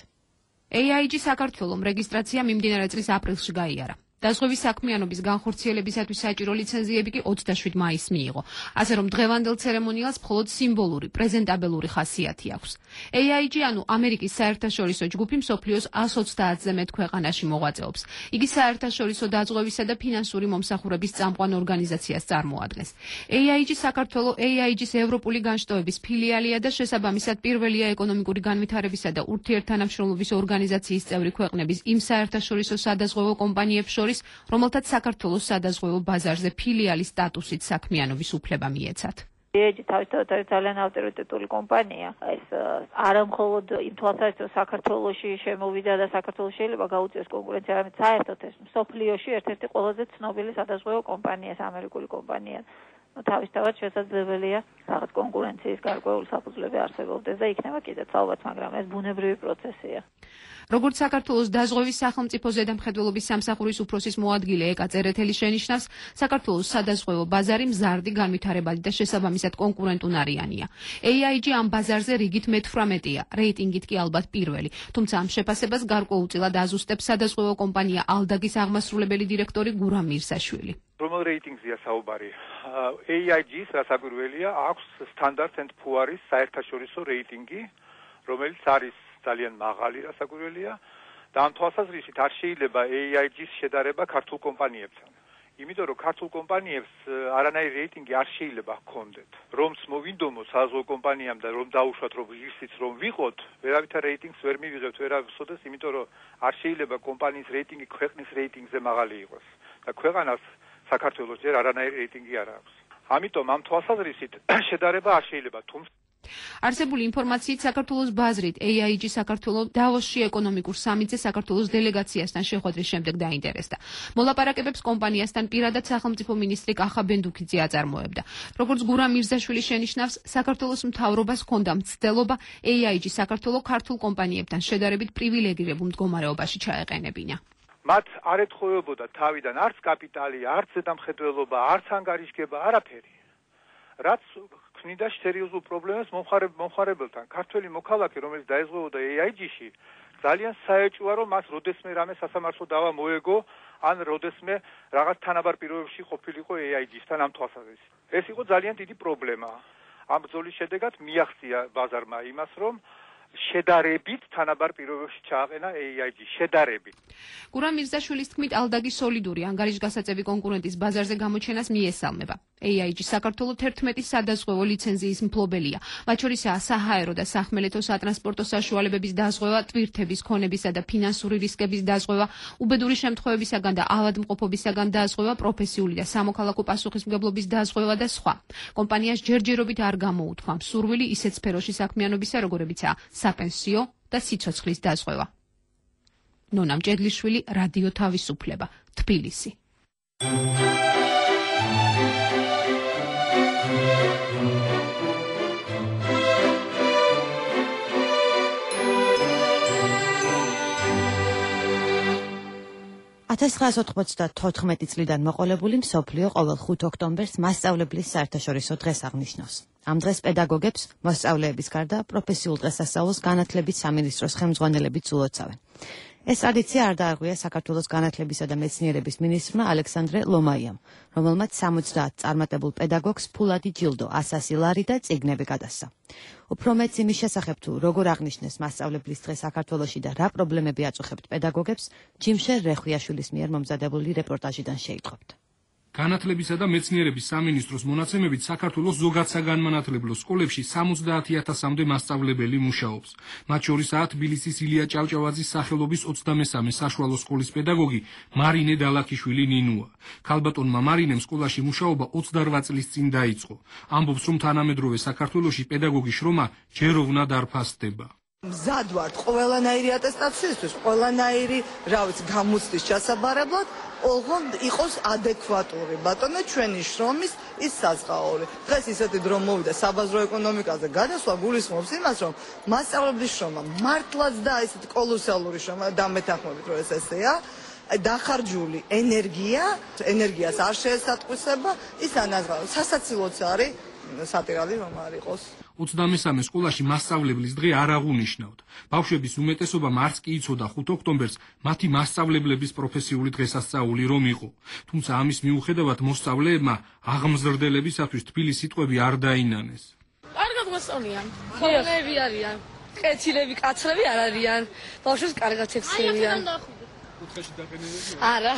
AIG საქართველოს რეგისტრაცია მიმდინარე წლის აპრილში გაიარა. დაზღვევის საქმიანობის განხორციელებისათვის საჭირო ლიცენზიები კი 27 მაისს მიიღო. ასე რომ დღევანდელ ცერემონიალს მხოლოდ სიმბოლური, პრეზენტაბელური ხასიათი აქვს. AIG, ანუ ამერიკის საერთაშორისო ჯგუფი, მსოფლიოს 130-ზე მეტ ქვეყანაში მოღვაწეობს. იგი საერთაშორისო დაზღვევისა და ფინანსური მომსახურების წამყვან ორგანიზაციას წარმოადგენს. AIG საქართველოს AIG-ს ევროპული განშტოების ფილიალია და შესაბამისად პირველია ეკონომიკური განვითარებისა და ურთიერთთანამშრომლობის ორგანიზაციის წევრი ქვეყნების იმ საერთაშორისო სადაზღვევო კომპანიებს შორის, რომელთაც საქართველოს სადაზღვევო ბაზარზე ფილიალის სტატუსით საქმიანობის უფლება მიეცათ. AIG თავისთავად არის ძალიან ავტორიტეტული კომპანია. ეს არა მხოლოდ იმ თვალსაზრისით საქართველოში შემოვიდა და საქართველოს შეიძლება გაუწიოს კონკურენცია, არამედ საერთოდ ეს მსოფლიოში ერთ-ერთი ყველაზე ცნობილი სადაზღვევო კომპანია, ამერიკული კომპანია. თავისთავად შესაძლებელია რაღაც კონკურენციის გარკვეული საფუძვლები არსებობდეს და იქნება კიდეც ალბათ, მაგრამ ეს ბუნებრივი პროცესია. როგორც საქართველოს დაზღვევის სახელმწიფო ზედამხედველობის სამსახურის უფროსის მოადგილე ეკა წერეთელი შენიშნავს, საქართველოს სადაზღვევო ბაზარი მზარდი, განვითარებადი და შესაბამისად კონკურენტუნარიანია. AIG ამ ბაზარზე რიგით მე-18-ია, რეიტინგით კი ალბათ პირველი. თუმცა ამ შეფასებას გარკვეულწილად აზუსტებს სადაზღვევო კომპანია ალდაგის აღმასრულებელი დირექტორი გურამ მირსაშვილი. რომელ რეიტინგზეა საუბარი? AIG-ს რასაკვირველია აქვს Standard & Poor's საერთაშორისო რეიტინგი, რომელიც არის ძალიან მაღალი, რასაკვირველია და ამ თვალსაზრისით არ შეიძლება AIG-ს შედარება ქართულ კომპანიებთან. იმიტომ რომ ქართულ კომპანიებს არანაირი რეიტინგი არ შეიძლება ჰქონდეთ. რომც მოვინდომოთ საზღვაო კომპანიამ და რომ დაუშვათ რომ ისიც რომ ვიყოთ, ვერავითარ რეიტინგს ვერ მივიღებთ, ვერავისოდეს, იმიტომ რომ არ შეიძლება კომპანიის რეიტინგი ქვეყნის რეიტინგზე მაღალი იყოს. და ქვეყანას საქართველოს ჯერ არანაირი რეიტინგი არ აქვს. ამიტომ ამ თვალსაზრისით შედარება არ შეიძლება, თუმცა არსებული ინფორმაციით საქართველოს ბაზრით AIG საქართველოს დავოსში ეკონომიკურ სამიტზე საქართველოს დელეგაციასთან შეხვედრის შემდეგ დაინტერესდა. მოლაპარაკებებს კომპანიასთან პირადად სახელმწიფო მინისტრი კახა ბენდუქიძე აწარმოებდა. როგორც გურამ მირზაშვილი შენიშნავს, საქართველოს მთავრობას ჰქონდა მცდელობა AIG საქართველოს ქართულ კომპანიებთან შედარებით პრივილეგირებულ მდგომარეობაში ჩაეყენებინა. მათ არ ეთხოვებოდა თავიდან არც კაპიტალი, არც ზედამხედველობა, არც ანგარიშგება, არაფერი. რაც ქმნიდა სერიოზულ პრობლემას მომხმარებელთან. ქართველი მოქალაქე, რომელიც დაეზღვეოდა AIG-ში, ძალიან საეჭვია, რომ მას როდესმე რამე სასამართლო დავა მოეგო, ან როდესმე რაღაც თანაბარ პირობებში ყოფილიყო AIG-სთან ამ თვალსაზრისით. ეს იყო ძალიან დიდი პრობლემა. ამ ბრძოლის შედეგად მიაღწია ბაზარმა იმას, რომ შედარებით თანაბარ პირობებში ჩააყენა AIG შედარებით. გურამ მირზაშვილის თქმით, ალდაგი სოლიდური ანგარიშგასაწევი კონკურენტის ბაზარზე გამოჩენას მიესალმება. AIG საქართველოს 11 სადაზღვევო ლიცენზიის მფლობელია. მათ შორისაა საჰაერო და სახმელეთო სატრანსპორტო საშუალებების დაზღვევა, ტვირთების, ქონებისა და ფინანსური რისკების დაზღვევა, უბედური შემთხვევებისაგან და ავადმყოფობისაგან დაზღვევა, პროფესიული და სამოქალაქო პასუხისმგებლობის დაზღვევა და სხვა. კომპანიას ჯერჯერობით არ გამოუთქვა მსურვილი ისეთ სფეროში საქმიანობისა, როგორებიცაა საპენსიო და სიცოცხლის დაზღვევა. ნონა მჭედლიშვილი, რადიო თავისუფლება, თბილისი. წლიდან მოყოლებული მსოფლიო ყოველ 5 ოქტომბერს მასწავლებლის საერთაშორისო დღეს აღნიშნავს. ამ დღეს პედაგოგებს მოსწავლეების გარდა პროფესიულ დღესასწაულს განათლების სამინისტროს ხელმძღვანელებით ულოცავენ. ეს ტრადიცია არ დაარღვია საქართველოს განათლებისა და მეცნიერების მინისტრმა ალექსანდრე ლომაიამ, რომელმაც 70 წარმატებულ პედაგოგს ფულადი ჯილდო, 100 ლარი და წიგნები გადასცა. უფრო მეც იმის შესახებ თუ როგორ აღნიშნეს მასწავლებლის დღე საქართველოში და რა პრობლემები აწუხებთ პედაგოგებს, ჯიმშერ რეხვიაშვილის მიერ მომზადებული რეპორტაჟიდან შეიტყობთ. განათლებისა და მეცნიერების სამინისტროს მონაცემებით საქართველოს ზოგად საგანმანათლებლო სკოლებში 70,000-მდე მასწავლებელი მუშაობს. მათ შორისაა თბილისის ილია ჭავჭავაძის სახელობის 23 საშუალო სკოლის პედაგოგი მარინე დალაქიშვილი ნინუა. ქალბატონმა მარინემ სკოლაში მუშაობა 28 წლის წინ დაიწყო. ამბობს, რომ თანამედროვე საქართველოში პედაგოგის შრომა ჯეროვნად არ ფასდება. მზად ვართ ყველანაირი ატესტაციისთვის, ყველანაირი, გამოცდის ჩასაბარებლად, ოღონდ იყოს ადეკვატური. ბატონო, ჩვენი შრომის ის საზღაური. დღეს ისეთი დრო მოვიდა საბაზრო ეკონომიკაზე გადასვლა გულისხმობს იმას, რომ მასწავლებლის შრომა მართლაც და ესეთი კოლოსალური შრომა დამეთანხმებით, რომ ეს ესეა. დახარჯული ენერგიას არ შეესატყვისება, ის ანაზღაურებს. სასაცილოც არის სატირალი რომ არ იყოს. 23 სკოლაში მასწავლებლის დღე არ აღუნიშნავთ. ბავშვების უმეტესობამ არც კი იცოდა 5 ოქტომბერს მათი მასწავლებლების პროფესიული დღესასწაული რომ იყო. თუმცა ამის მიუხედავად მოსწავლეებმა აღმზრდელებისათვის თბილი სიტყვები არ დაინანეს. კარგად მოსწავლიან. ხოლმეები არიან. ყეცილები, კაცრები არ არიან. ბავშვებს კარგად ექცევიან. კუთხეში დაგენებენ? არა.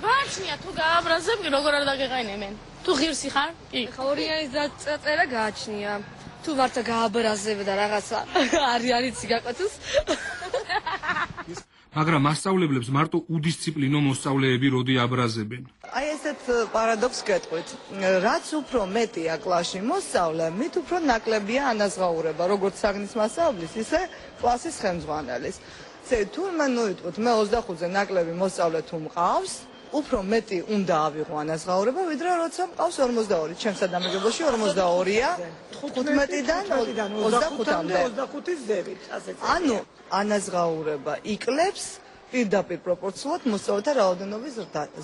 ვარჩნია თუ გააბრაზებდი როგორ არ დაგეყენებენ. თუ ღირსი ხარ? კი. ხა ორიანის დაწერა გააჩნია. თუ ვართ გააბრაზებ და რაღაცა არიანიცი გაკვეთოს. მაგრამ მასწავლებლებს მარტო უდისციპლინო მოსწავლეები როდი აბრაზებენ. აი ესეთ პარადოქსს გეტყვით. რაც უფრო მეტია კლასში მოსწავლე, მით უფრო ნაკლებია ანაზღაურება, როგორც საგნის მასწავლებლის, ისე კლასის ხელმძღვანელის. თურმე ნოიტყვით, მე 25-ზე ნაკლები მოსწავლე თუ მყავს, უფრო მეტი უნდა ავიღო ანაზღაურება, ვიდრე როცა მყავს 42. ჩემს ადამიანებში 42-ია 15-დან 25-მდე. 25-ის ზევით, ასეც. ანუ ანაზღაურება იკლებს პირდაპირ პროპორციულად მოსწავლეთა რაოდენობის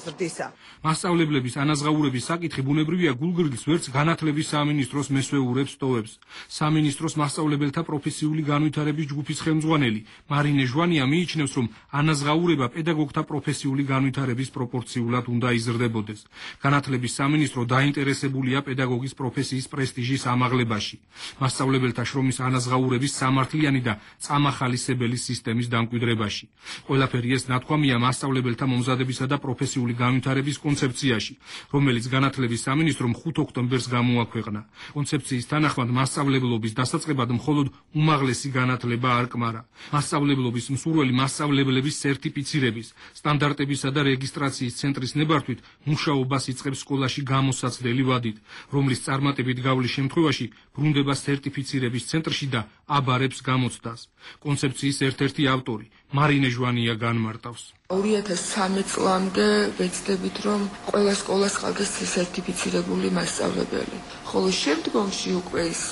ზრდისა. მასწავლებლების ანაზღაურების საკითხი ბუნებრივია გულგრილს ვერც განათლების სამინისტროს მესვეურებს ტოვებს. სამინისტროს მასწავლებელთა პროფესიული განვითარების ჯგუფის ხელმძღვანელი მარინე ჟვანია მიიჩნევს, რომ ანაზღაურება პედაგოგთა პროფესიული განვითარების პროპორციულად უნდა იზრდებოდეს. განათლების სამინისტრო დაინტერესებულია პედაგოგის პროფესიის პრესტიჟის ამაღლებაში. მასწავლებელთა შრომის ანაზღაურების სამართლიანი და წამახალისებელი სისტემის დამკვიდრებაში. ყველაფერი ეს ნათქვამია მასწავლებელთა მომზადებისა და პროფესიული განვითარების კონცეფციაში, რომელიც განათლების სამინისტრომ 5 ოქტომბერს გამოაქვეყნა. კონცეფციის თანახმად მასწავლებლობის დასაწყებად მხოლოდ უმაღლესი განათლება არ კმარა. მასწავლებლობის მსურველი მასწავლებლების სერტიფიცირების, სტანდარტებისა და რეგისტრაციის ცენტრის ნებართვით მუშაობას იწყებს სკოლაში გამოსაცდელი ვადით, რომლის წარმატებით გავლის შემთხვევაში ბრუნდება სერტიფიცირების ცენტრში და აბარებს გამოცდას. კონცეფციის ერთ-ერთი ავტორი მარინე ჟვანია განმარტავს. 2013 წლამდე ვეცდებით, რომ ყველა სკოლას ყავდეს სერტიფიცირებული მასწავლებელი. ხოლო შემდგომში უკვე ის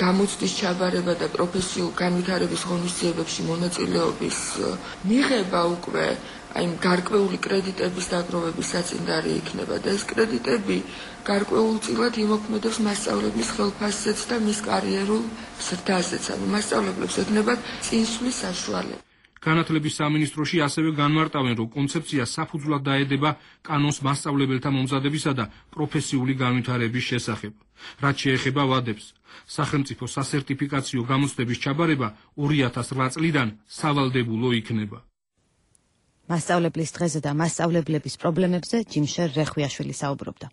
გამოცდის ჩაბარება და პროფესიულ განვითარების ღონისძიებებში მონაწილეობის მიღება უკვე აი გარკვეული კრედიტების დაგროვების საწინდარი იქნება და ეს კრედიტები გარკვეულწილად იმოქმედებს მასწავლებლის ხელფასზეც და მის კარიერულ ზრდაზეც, ანუ მასწავლებლებს ეკნებათ წინსვლის საშუალება. განათლების სამინისტროში ასევე განმარტავენ, რომ კონცეფცია საფუძვლად დაედება კანონს მასწავლებელთა მომზადებისა და პროფესიული განვითარების შესახებ. რაც შეეხება ვადებს, სახელმწიფო სასერტიფიკაციო გამოცდების ჩაბარება 2008 წლიდან სავალდებულო იქნება. მასწავლებლის დღეზე და მასწავლებლების პრობლემებზე ჯიმშერ რეხვიაშვილი საუბრობდა.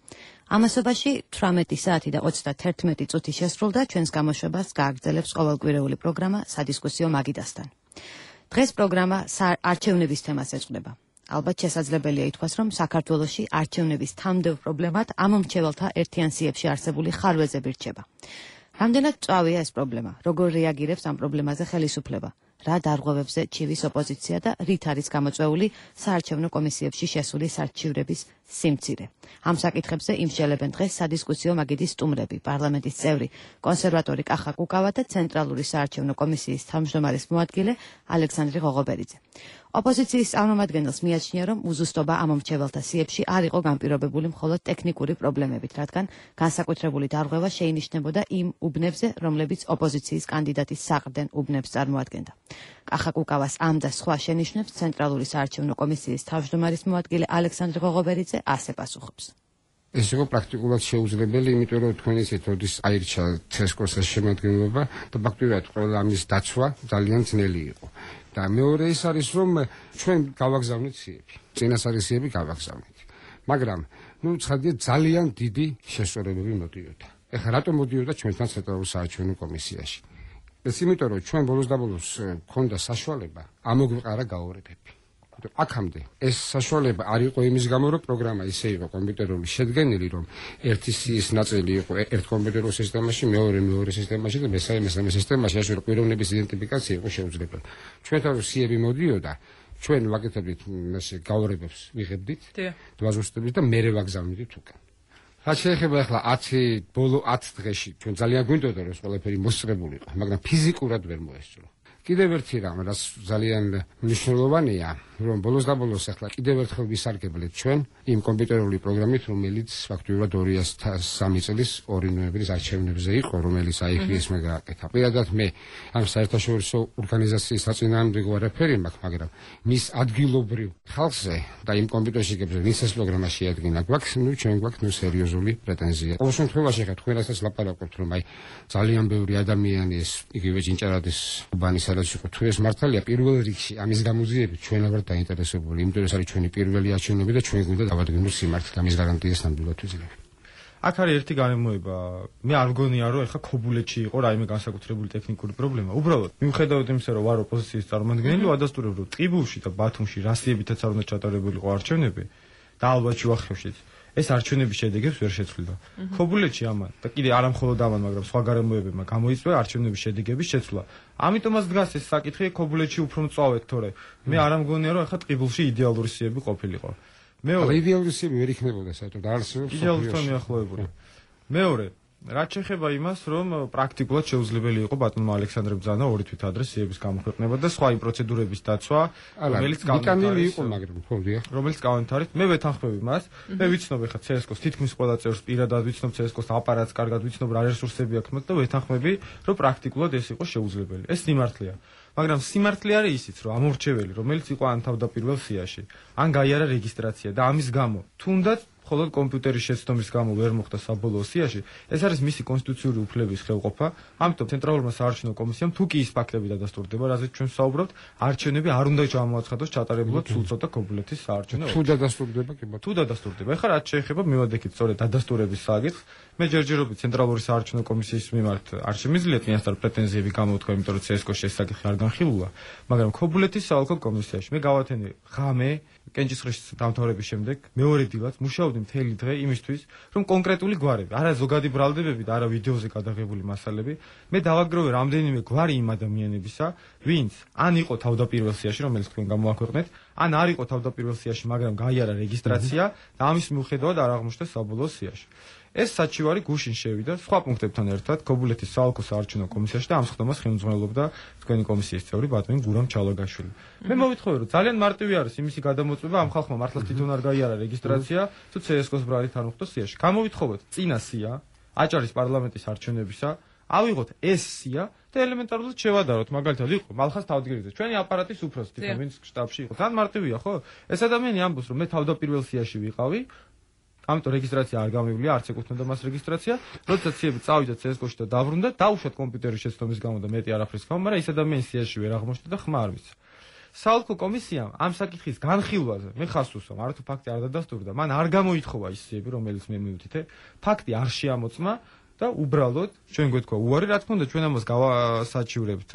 ამასობაში 18 საათი და 31 წუთი შესრულდა, ჩვენს გამოშვებას გააგრძელებს ყოველკვირეული პროგრამა სადისკუსიო მაგიდასთან. დღეს პროგრამა არჩევნების თემას ეძღვნება. ალბათ შესაძლებელია ითქვას, რომ საქართველოში არჩევნების თამდევ პრობლემად ამ მრჩეველთა ერთიან სიებში არსებული ხარვეზები რჩება. რამდენად მწვავეა ეს პრობლემა? როგორ რეაგირებს ამ პრობლემაზე ხელისუფლება? რა დარღვევებზე ჩივის ოპოზიცია და რით არის გამოწვეული საარჩევნო კომისიებში შესული სარჩივრების სიმცირე? ამ საკითხებზე იმსჯელებენ დღეს სადისკუსიო მაგიდის სტუმრები, პარლამენტის წევრი, კონსერვატორი კახა კუკავა და ცენტრალური საარჩევნო კომისიის თავმჯდომარის მოადგილე ალექსანდრე ღოღობერიძე. ოპოზიციის წარმომადგენელს მიაჩნია, რომ უზუსტობა ამ მრჩეველთა სიებში არ იყო განპირობებული მხოლოდ ტექნიკური პრობლემებით, რადგან განსაკუთრებული დარღვევა შეინიშნებოდა იმ უბნებზე, რომლებიც ოპოზიციის კანდიდატის საყრდენ უბნებს წარმოადგენდა. კახა კუკავას ამ და სხვა შენიშვნებს ცენტრალური საარჩევნო კომისიის თავმჯდომარის მოადგილე ალექსანდრე ღოღობერიძე ასე პასუხობს. ეს იყო პრაქტიკულად შეუძლებელი, იმიტომ რომ თქვენ ისეთ როდის აირჩა ცესკოს შემადგენლობა და ფაქტობრივად ყველა ამის დაცვა ძალიან ძნელი იყო. და მეორე ის არის, რომ ჩვენ გავაგზავნეთ სიები. წინასწარი სიები გავაგზავნეთ. მაგრამ ცხადია ძალიან დიდი შესწორებები მოდიოდა. ეხლა რატომ მოდიოდა ჩვენთან ცენტრალურ საარჩევნო კომისიაში? ეს იმიტომ რომ ჩვენ ბოლოს და ბოლოს გქონდა საშუალება ამოგვიყარა გაორებები. აქამდე ეს საშუალება არ იყო იმის გამო, რომ პროგრამა ისე იყო კომპიუტერული შედგენილი, რომ ერთი სიის ნაწილი იყო ერთ კომპიუტერულ სისტემაში, მეორე სისტემაში და მესამე სისტემაში, ასე რომ პიროვნების იდენტიფიკაცია იყო შეუძლებელი. ჩვენთან რომ სიები მოდიოდა, ჩვენ ვაკეთებდით ესე გაორებებს ვიღებდით, დაბაზუსტებით და მერე ვაგზავნით უკან. რაც შეეხება ახლა 10 ბოლო 10 დღეში ჩვენ ძალიან გვინდოდა რომ ყველაფერი მოსწრებულიყო, მაგრამ ფიზიკურად ვერ მოესწრო. კიდევ ერთი რამ, რაც ძალიან მნიშვნელოვანია, რომ ბოლოს და ბოლოს ახლა კიდევ ერთხელ ვისარგებლეთ ჩვენ იმ კომპიუტერული პროგრამით, რომელიც ფაქტობრივად 2003 წლის 2 ნოემბრის არჩევნებზე იყო, რომელიც აიფიესმა გააკეთა. პირადად მე ამ საერთაშორისო ორგანიზაციის საწინააღმდეგო არაფერი მაქვს, მაგრამ მის ადგილობრივ ხალხზე და იმ კომპიუტერში ვინც ეს პროგრამა შეადგინა, ჩვენ გვაქვს სერიოზული პრეტენზია. ყოველ შემთხვევაში ხა თქვენ რასაც ლაპარაკობთ, რომ აი ძალიან ბევრი ადამიანი ეს იგივე ჭინჭარადის უბანის სადაც იყო თუ ეს მართალია პირველ რიგში ამის გამოძიებით ჩვენ ვართ დაინტერესებული, იმიტომ ეს არის ჩვენი პირველი არჩევნები და ჩვენ გვინდა დავადგინოთ სიმართლე და მის გარანტიას ნამდვილად ვიძლევთ. აქ არის ერთი გარემოება. მე არ მგონია რომ ეხა ქობულეთში იყო რაიმე განსაკუთრებული ტექნიკური პრობლემა. უბრალოდ მიუხედავად იმისა, რომ ვარ ოპოზიციის წარმომადგენელი, ვადასტურებ, რომ ტყიბულში და ბათუმში რასიებითაც არ უნდა ჩატარებულიყო არჩევნები და ალბათ შუახევშიც ეს არჩევნების შედეგებს ვერ შეცვლილა. ქობულეთში ამან და კიდე არა მხოლოდ ამან, მაგრამ სხვა გარემოებებმა გამოიწვია არჩევნების შედეგების შეცვლა. ამიტომაც დგას ეს საკითხი ქობულეთში უფრო მწვავედ, თორე მე არ მგონია რომ ეხა ტყიბულში იდეალური სიები ყოფილიყო. მეორე იდეალური სიები ვერ იქნებოდა საერთოდ არასდროს იდეალურთან მიახლოებული. მეორე რაც შეეხება იმას, რომ პრაქტიკულად შეუძლებელი იყო ბატონმა ალექსანდრე ბრძანა ორი თვით ადრე სიების გამოქვეყნება და სხვა იმ პროცედურების დაცვა, რომელიც განვიტანილი იყო, მაგრამ ხოდია. რომელიც განვითარეთ, მე ვეთანხმები მას. მე ვიცნობ ხა CSKO-ს თითქმის ყველა წევრს პირადად ვიცნობ CSKO-ს აპარატს კარგად ვიცნობ რა რესურსები აქვს მათ და ვეთანხმები, რომ პრაქტიკულად ეს იყო შეუძლებელი. ეს სიმართლეა. მაგრამ სიმართლე არის ისიც, რომ ამორჩეველი, რომელიც იყო ან თავდაპირველ სიაში, ან გაიარა რეგისტრაცია და ამის გამო თუნდაც მხოლოდ კომპიუტერის შეცდომის გამო ვერ მოხდა საბოლოო სიაში, ეს არის მისი კონსტიტუციური უფლების ხელყოფა. ამიტომ ცენტრალურმა საარჩევნო კომისიამ თუ კი ის ფაქტები დადასტურდება, რაზეც ჩვენ ვსაუბრობთ, არჩევნები არ უნდა ჩამოაცხადოს ჩატარებულად სულწოდა ქობულეთის საარჩევნო. თუ დადასტურდება, კი ბატონო. თუ დადასტურდება. ეხლა რაც შეეხება მივადექით სწორედ დადასტურების საკითხს, მე ჯერჯერობით ცენტრალური საარჩევნო კომისიის მიმართ არ შემიძლია წინასწარ პრეტენზიები გამოვთქვა, იმიტომ რომ CSKO-ში ეს საკითხი არ განხილულა, მაგრამ ქობულეთის საოლქო კომისიაში მე გავათენე ღამე კენჭისყრის დამთავრების შემდეგ მეორე დილად მუშაობდი მთელი დღე იმისთვის, რომ კონკრეტული გვარები, არა ზოგადი ბრალდებები და არა ვიდეოზე გადაღებული მასალები, მე დავაგროვე რამდენიმე გვარი იმ ადამიანებისა, ვინც ან იყო თავდაპირველ სიაში, რომელიც თქვენ გამოაქვეყნეთ, ან არ იყო თავდაპირველ სიაში, მაგრამ გაიარა რეგისტრაცია და ამის მიუხედავად არ აღმოჩნდა საბოლოო სიაში. ეს საჩივარი გუშინ შევიდა სხვა პუნქტებთან ერთად ქობულეთის საოლქო საარჩევნო კომისიაში და ამ სხდომას ხელმძღვანელობდა თქვენი კომისიის წევრი ბატონი გურამ ჩალოგაშვილი. მე მოვიტყოვე, რომ ძალიან მარტივი არის იმისი გადამოწმება ამ ხალხმა მართლა თვითონ არ გაიარა რეგისტრაცია, თუ CSKO-ს ბრალით არ მოხდა სიაში. გამოვიტყოვოთ წინა სია, აჭარის პარლამენტის არჩევნებისა, ავიღოთ ეს სია და ელემენტარულად შევადაროთ, მაგალითად იყო მალხას თავდგირიძე, ჩვენი აპარატის უფროსი, თვითონ ვინც შტაბში იყო. თან მარტივია, ხო? ეს ადამიანი ამბობს, რომ მე თავდაპირველ სიაში ვიყავი, ამიტომ რეგისტრაცია არ გამივლია, არც ეკუთვნოდა მას რეგისტრაცია, როდესაც სიები წავიდა CSKO-ში და დაბრუნდა, დაუშვათ კომპიუტერის შეცდომის გამო და მეტი არაფრის გამო, მაგრამ ის ადამიანი სიაში ვერ აღმოჩნდა და ხმა არ მისცა. საოლქო კომისიამ ამ საკითხის განხილვაზე მე ხაზს უსვამ, არა თუ ფაქტი არ დადასტურდა, მან არ გამოითხოვა ის სიები, რომელიც მე მივთითე, ფაქტი არ შეამოწმა და უბრალოდ ჩვენ გვეთქვა უარი, რა თქმა უნდა ჩვენ ამას გავასაჩივრებთ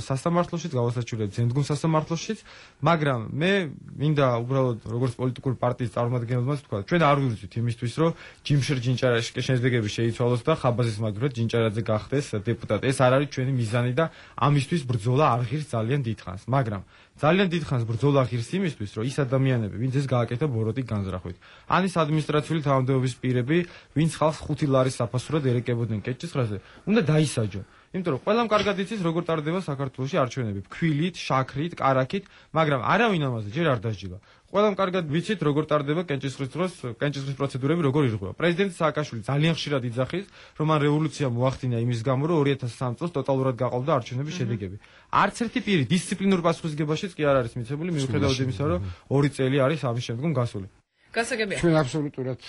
სასამართლოშიც, გავასაჩივრებთ ზენდგუნ სასამართლოშიც, მაგრამ მე მინდა უბრალოდ როგორც პოლიტიკური პარტიის წარმომადგენელმა ვთქვა, ჩვენ არ ვივრცით იმისთვის, რომ ჯიმშერ ჯინჭარაშკე შედეგები შეიცვალოს და ხაბაზის მაგდრად ჯინჭარაძე გახდეს დეპუტატი. ეს არ არის ჩვენი მიზანი და ამისთვის ბრძოლა არ ღირს ძალიან დიდხანს, მაგრამ ძალიან დიდხანს ბრძოლა ღირს იმისთვის, რომ ის ადამიანები, ვინც ეს გააკეთა ბოროტი განზრახვით, ან ის ადმინისტრაციული თავმჯდომარეობის პირები, ვინც ხალხს 5 ლარის საფასურად ერეკებოდნენ კეჭისყრაზე, უნდა დაისაჯონ. იმიტომ რომ ყველამ კარგად იცის, როგორ ტარდება საქართველოში არჩევნები, ფქვილით, შაქრით, კარაქით, მაგრამ არავინ ამაზე ჯერ არ დასჯილა. ყველამ კარგად ვიცით, როგორ ტარდება კენჭისყრის დროს, კენჭისყრის პროცედურები როგორ ირღვევა. პრეზიდენტი სააკაშვილი ძალიან ხშირად იძახის, რომ მან რევოლუცია მოახდინა იმის გამო, რომ 2003 წელს ტოტალურად გაყოლდა არჩევნების შედეგები. არც ერთი პირი დისციპლინურ პასუხისგებაშიც კი არ არის მიცემული, მიუხედავად იმისა, რომ 2 წელი არის ამის შემდგომ გასული. გასაგებია. ჩვენ აბსოლუტურად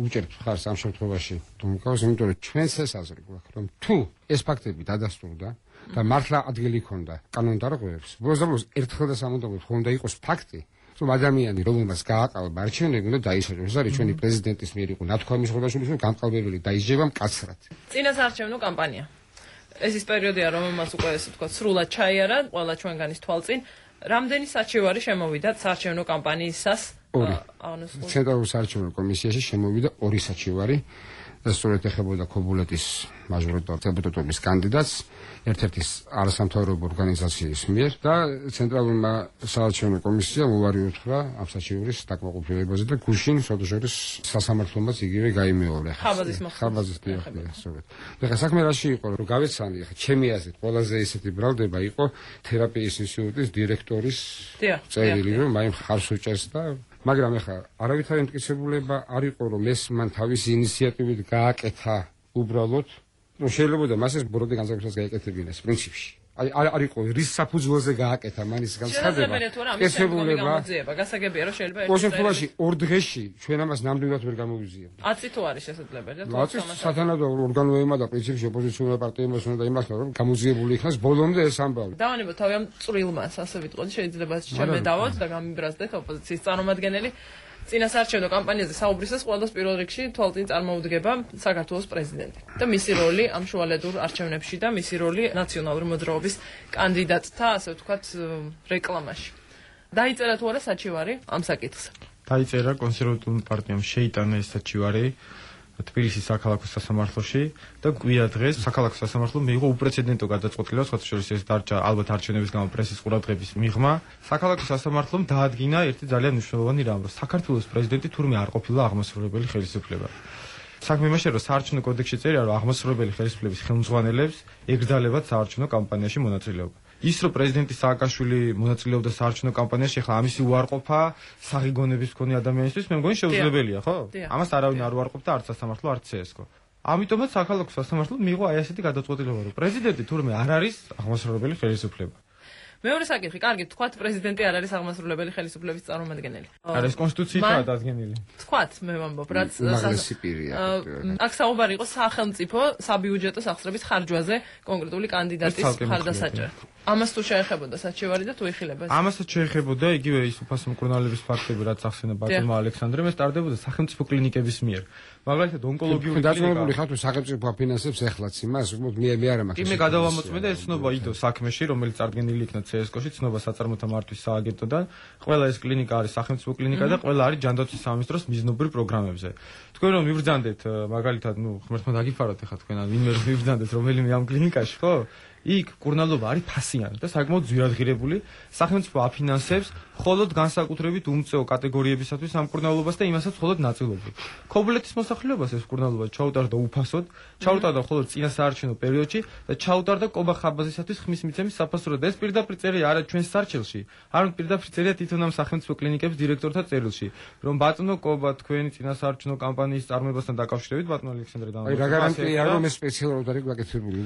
უჭერთ ხარს ამ შემთხვევაში, თუ მოგავს, იმიტომ რომ ჩვენს ეს აზრი გვაქვს, რომ თუ ეს ფაქტები დადასტურდა და მართლა ადგილი ჰქონდა კანონდარღვევებს, ბოლოს ერთხელ და სამუდამოდ ხონდა იყოს ფაქტი, რომ ადამიანი, რომელმაც გააყალბა არჩევნები, უნდა დაისაჯოს. ეს არის ჩვენი პრეზიდენტის მიერ იყო ნათქვამი ხორბაშვილის, რომ განყალბებელი დაისჯება მკაცრად. წინასაარჩევნო კამპანია. ეს ის პერიოდია, რომელმაც უკვე ესე ვთქვათ, სრულად ჩაიარა ყველა ჩვენგანის თვალწინ. რამდენი საჩივარი შემოვიდა საარჩევნო კამპანიისას? ცენტრალურ საარჩევნო კომისიაში შემოვიდა 2 საჩივარი და სწორედ ეხებოდა ქობულეთის მაჟორიტარ დეპუტატობის კანდიდატს ერთ-ერთი არასამთავრობო ორგანიზაციის მიერ და ცენტრალურმა საარჩევნო კომისიამ უარი უთხრა ამ საჩივრის დაკმაყოფილებაზე და გუშინ სოდოჟორის სასამართლომაც იგივე გაიმეორა. ხაბაზის დიახია, სწორედ. ეხლა საქმე რაში იყო, რომ გავეცანი, ეხლა ჩემი აზრით ყველაზე ისეთი ბრალდება იყო თერაპიის ინსტიტუტის დირექტორის წერილი, რომ მაინც ხარს უჭერს და მაგრამ ეხლა არავითარი მტკიცებულება არ იყო, რომ ეს მან თავისი ინიციატივით გააკეთა უბრალოდ, რომ შეიძლება მას ეს ბოროტი განსაკუთრებას გაეკეთებინეს პრინციპში. არ იყო რის საფუძველზე გააკეთა მან ის განცხადება. ესებულება გასაგებია, რომ შეიძლება ერთ შემთხვევაში 2 დღეში ჩვენ ამას ნამდვილად ვერ გამოვიზიებთ. 10 თუ არის შესაძლებელი და სათანადო ორგანოებმა და პრინციპში ოპოზიციონერმა პარტიებმა უნდა იმასნა, რომ გამოძიებული იქნას ბოლომდე ეს ამბავი. დავანებოთ თავი ამ წვრილმას, ასე ვიტყოდი, შეიძლება შემედავოთ და გამიბრაზდეთ ოპოზიციის წარმომადგენელი. წინასაარჩევნო კამპანიაზე საუბრისას ყველას პირველ რიგში თვალწინ წარმოუდგება საქართველოს პრეზიდენტი და მისი როლი ამ შუალედურ არჩევნებში და მისი როლი ნაციონალური მოძრაობის კანდიდატთა, ასე ვთქვათ, რეკლამაში. დაიწერა თუ არა საჩივარი ამ საკითხს? დაიწერა, კონსერვატიული პარტიამ შეიტანა ეს საჩივარი თბილისის საქალაქო სასამართლოში და კვირა დღეს საქალაქო სასამართლომ მიიღო უპრეცედენტო გადაწყვეტილება, სხვა შორის ეს დარჩა ალბათ არჩევნების გამო პრესის ყურადღების მიღმა. საქალაქო სასამართლომ დაადგინა ერთი ძალიან მნიშვნელოვანი რამ, რომ საქართველოს პრეზიდენტი თურმე არ ყოფილა აღმასრულებელი ხელისუფლება. საქმე იმაშია, რომ საარჩევნო კოდექსში წერია, რომ აღმასრულებელი ხელისუფლების ხელმძღვანელებს ეკრძალებათ საარჩევნო კამპანიაში მონაწილეობა. ის რომ პრეზიდენტი სააკაშვილი მონაწილეობდა საარჩევნო კამპანიაში, ხა ამისი უარყოფა საღიგონების მქონე ადამიანისთვის მე მგონი შეუძლებელია, ხო? ამას არავინ არ უარყოფდა არც სასამართლო, არც CSKO. ამიტომაც საქალაქო სასამართლომ მიიღო აი ასეთი გადაწყვეტილება, რომ პრეზიდენტი თურმე არ არის აღმასრულებელი ხელისუფლება. მეორე საკითხი, კარგი, თქვათ პრეზიდენტი არ არის აღმასრულებელი ხელისუფლების წარმომადგენელი. არის კონსტიტუციითაა დადგენილი. თქვათ, მე ვამბობ, რაც აქ საუბარი იყო სახელმწიფო საბიუჯეტო სახსრების ხარჯვაზე კონკრეტული კანდიდატის მხარდასაჭერად. ამას თუ შეეხებოდა საჩივარი და თუ იხილებოდა? ამასაც შეეხებოდა იგივე ის უფასო მკურნალობის ფაქტები, რაც ახსენა ბატონმა ალექსანდრემ, ეს ტარდებოდა სახელმწიფო კლინიკების მიერ. მაგალითად ონკოლოგიური კლინიკა. დაწესებული ხარ თუ სახელმწიფო აფინანსებს ეხლაც იმას, უბრალოდ მე არ მაქვს. მე გადავამოწმე და ეს ცნობა იდო საქმეში, რომელიც წარდგენილი იქნა CSKO-ში, ცნობა საწარმოთა მართვის სააგენტოდან. ყველა ეს კლინიკა არის სახელმწიფო კლინიკა და ყველა არის ჯანდაცვის სამინისტროს მიზნობრივ პროგრამებზე. თქვენ რომ მიბრძანდეთ, მაგალითად, ღმერთმა დაგიფაროთ ახლა თქვენ, ვინმე რომ მიბრძანდეთ რომელიმე ამ კლინიკაში, ხო? იქ კურნალობა არის ფასიანი და საკმაოდ ძვირადღირებული. სახელმწიფო აფინანსებს მხოლოდ განსაკუთრებით უმწეო კატეგორიებისათვის ამ კურნალობას და იმასაც მხოლოდ ნაწილობრივ. ქობულეთის მოსახლეობას ეს კურნალობა ჩაუტარდა უფასოდ, ჩაუტარდა მხოლოდ წინა საარჩევნო პერიოდში და ჩაუტარდა კობა ხაბაზისათვის ხმის მიცემის საფასურად. ეს პირდაპირ წერია არა ჩვენს სარჩელში, არამედ პირდაპირ წერია თვითონ ამ სახელმწიფო კლინიკების დირექტორთა წერილში, რომ ბატონო კობა თქვენი წინა საარჩევნო კამპანიის წარმოებასთან დაკავშირებით ბატონო ალექსანდრე აი რა გარანტია რომ ეს სპეციალურად არის გაკეთებული?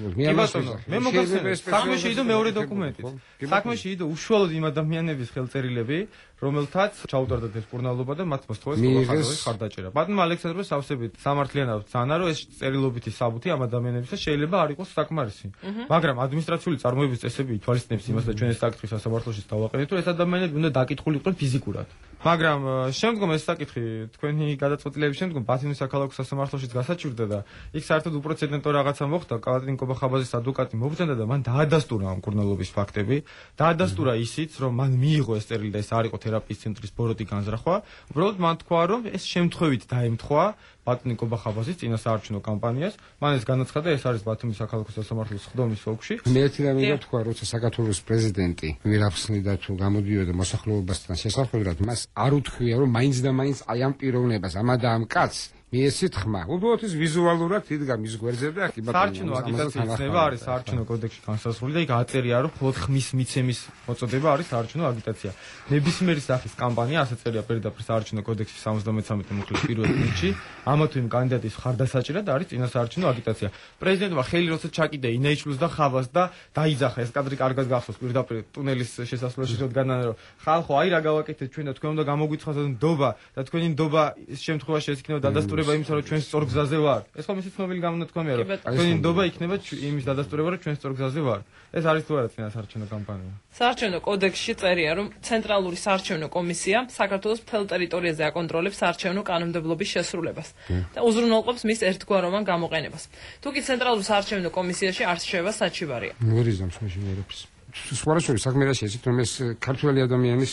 მე საქმეში იდო მეორე დოკუმენტით. საქმეში იდო უშუალოდ იმ ადამიანების ხელწერილები, რომელთაც ჩაუტარდათ ეს კურნალობა და მათ მოსთხოვეს კობა ხარდაჭერა. ბატონმა ალექსანდრე სავსებით სამართლიანად ძანა, რომ ეს წერილობითი საბუთი ამ ადამიანებისა შეიძლება არ იყოს საკმარისი. მაგრამ ადმინისტრაციული წარმოების წესები ითვალისწინებს იმას და ჩვენ ეს საკითხი სასამართლოში დავაყენეთ, რომ ეს ადამიანები უნდა დაკითხულიყვნენ ფიზიკურად. მაგრამ შემდგომ ეს საკითხი თქვენი გადაწყვეტილების შემდგომ ბათუმის საქალაქო სასამართლოშიც გასაჩივრდა და იქ საერთოდ უპრეცედენტო რაღაცა მოხდა. კალატინ კობახაბაძის ადვოკატი მობრძანდა და მან დაადასტურა ამ კურნალობის ფაქტები. დაადასტურა ისიც, რომ მან მიიღო ეს წერილი და ეს არ იყო თერაპიის ცენტრის ბოროტი განზრახვა. უბრალოდ მან თქვა, რომ ეს შემთხვევით დაემთხვა ბატონი კობახაბაძის წინა საარჩევნო კამპანიას. მან ეს განაცხადა, ეს არის ბათუმის საქალაქო სასამართლოს ხდომის ოლქში. მე ერთი რამე თქვა, როცა საქართველოს პრეზიდენტი ვირაფხსნიდა თუ გამოდიოდა მოსახლეობასთან შესაძლებლად, მას არ უთქვია, რომ მაინც და მაინც აი ამ პიროვნებას, ამა და ამ კაცს მიესით ხმა. უბრალოდ ის ვიზუალურად იდგა მის გვერდზე და აქ ბატონო საარჩევნო აგიტაციის ცნება არის საარჩევნო კოდექსში განსაზღვრული და იქ აწერია, რომ მხოლოდ ხმის მიცემის მოწოდება არის საარჩევნო აგიტაცია. ნებისმიერი სახის კამპანია, ასე წერია პირდაპირ საარჩევნო კოდექსის 73 მუხლის პირველ პუნქტში, ამა თუ იმ კანდიდატის მხარდასაჭერად არის წინა საარჩევნო აგიტაცია. პრეზიდენტმა ხელი როცა ჩაკიდა ინეიჩლუს და ხავას და დაიძახა, ეს კადრი კარგად გახსოვს პირდაპირ ტუნელის შესასვლელში როდგანან, რომ ხალხო, აი რა გავაკეთეთ ჩვენ და თქვენ უნდა გამოგვითხრათ ნდობა და თქვენი ნდობა ის შემთხვევაში ეს იქნება დადასტურება იმისა, რომ ჩვენ სწორ გზაზე ვარ. ეს ხომ ისიც ცნობილი გამონათქვამია, რომ თქვენი ნდობა იქნება იმის დადასტურება, რომ ჩვენ სწორ გზაზე ვარ. ეს არის თუ არა წინა საარჩევნო კამპანია. საარჩევნო კოდექსში წერია, რომ ცენტრალური საარჩევნო კომისია საქართველოს მთელ ტერიტორიაზე აკონტროლებს საარჩევნო კანონმდებლობის შესრულებას და უზრუნველყოფს მის ერთგვაროვან გამოყენებას. თუკი ცენტრალურ საარჩევნო კომისიაში არ რჩება საჩივარია. ვერ იზამს მე შევერებს. სხვადასხვა საქმე რა შეეცით, რომ ეს ქართველი ადამიანის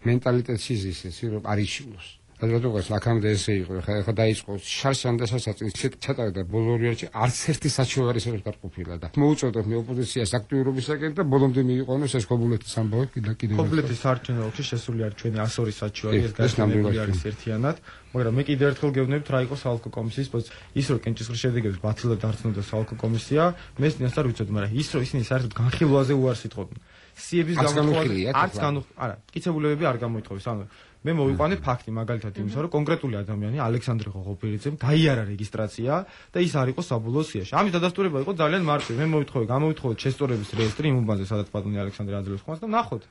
მენტალიტეტში ზის, რომ არ იშილოს. რადგან აქამდე ესე იყო, ხა დაიწყო შარშან და სასაწინს ჩატარდა ბოლო რიარჩი არც ერთი საჩივარი ვერ დაყოფილა და მოუწოდოთ მე ოპოზიციას აქტიურობისაკენ და ბოლომდე მიიყვანოს ეს ქობულეთის ამბავი კიდევ. ქობულეთის საარჩევნო ოლქში შესული არის ჩვენი 102 საჩივარი, ეს გასაგებია არის ერთიანად, მაგრამ მე კიდევ ერთხელ გეუბნებით რა იყო საალკო კომისიის პოზიცია. ის რომ კენჭისყრის შედეგებს ბათილად დარწმუნდა საალკო კომისია, მე წინასწარ ვიცოდი, მაგრამ ის რომ ისინი საერთოდ განხილვაზე უარს იტყობდნენ. სიების გამოთხოვა არც არა, კიცებულებები არ გამოითხოვეს, ანუ მე მოვიყვანე ფაქტი მაგალითად იმისა, რომ კონკრეტული ადამიანი ალექსანდრე ღოღობერიძემ გაიარა რეგისტრაცია და ის არ იყო საბოლოო სიაში. ამის დადასტურება იყო ძალიან მარტივი. მე გამოვითხოვე ჩესტორების რეესტრი იმ უბანზე, სადაც ბატონი ალექსანდრე აძლევს ხმას და ნახოთ.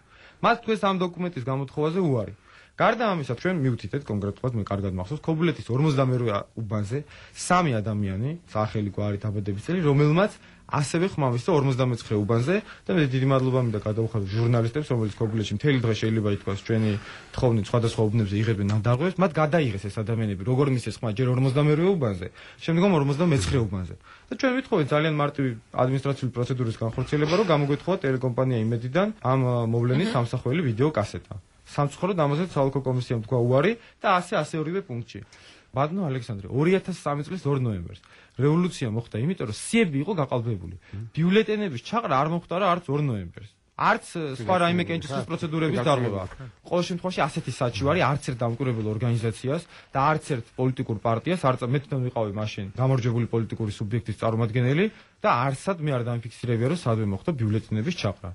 მათ თქვენს ამ დოკუმენტის გამოთხოვაზე უარი. გარდა ამისა, ჩვენ მივთითეთ კონკრეტულად, მე კარგად მახსოვს, ქობულეთის 52 უბანზე 3 ადამიანი, სახელი გვარი დაბადების წელი, რომელმაც ასევე ხმა მისცა 59 უბანზე და მე დიდი მადლობა მინდა გადავუხადო ჟურნალისტებს, რომელიც ქობულეთში მთელი დღე შეიძლება ითქვას ჩვენი თხოვნით სხვადასხვა უბნებზე იღებენ ნადარღვევს, მათ გადაიღეს ეს ადამიანები, როგორ მისცეს ხმა ჯერ 52 უბანზე, შემდგომ 59 უბანზე. და ჩვენ ვითხოვეთ ძალიან მარტივი ადმინისტრაციული პროცედურის განხორციელება, რომ გამოგვეთხოვა ტელეკომპანია იმედიდან ამ მოვლენის სამსახველი ვიდეო კასეტა. სამწუხაროდ ამასაც საალკო კომისიამ თქვა უარი და ასე ორივე პუნქტში. ბატონო ალექსანდრე 2003 წლის 2 ნოემბერს რევოლუცია მოხდა, იმიტომ რომ სიები იყო გაყალბებული. ბიულეტენების ჩაყრა არ მოხდა რა არც 2 ნოემბერს. არც სხვა რაიმე კენჭისყრის პროცედურების დარღვევა. ყოველ შემთხვევაში ასეთი საჩივარი არც ერთ დამკვირვებელ ორგანიზაციას და არც ერთ პოლიტიკურ პარტიას არ მე თვითონ ვიყავი მაშინ გამარჯვებული პოლიტიკური სუბიექტის წარმომადგენელი და არცად მე არ დამიფიქსირებია რომ სადმე მოხდა ბიულეტენების ჩაყრა.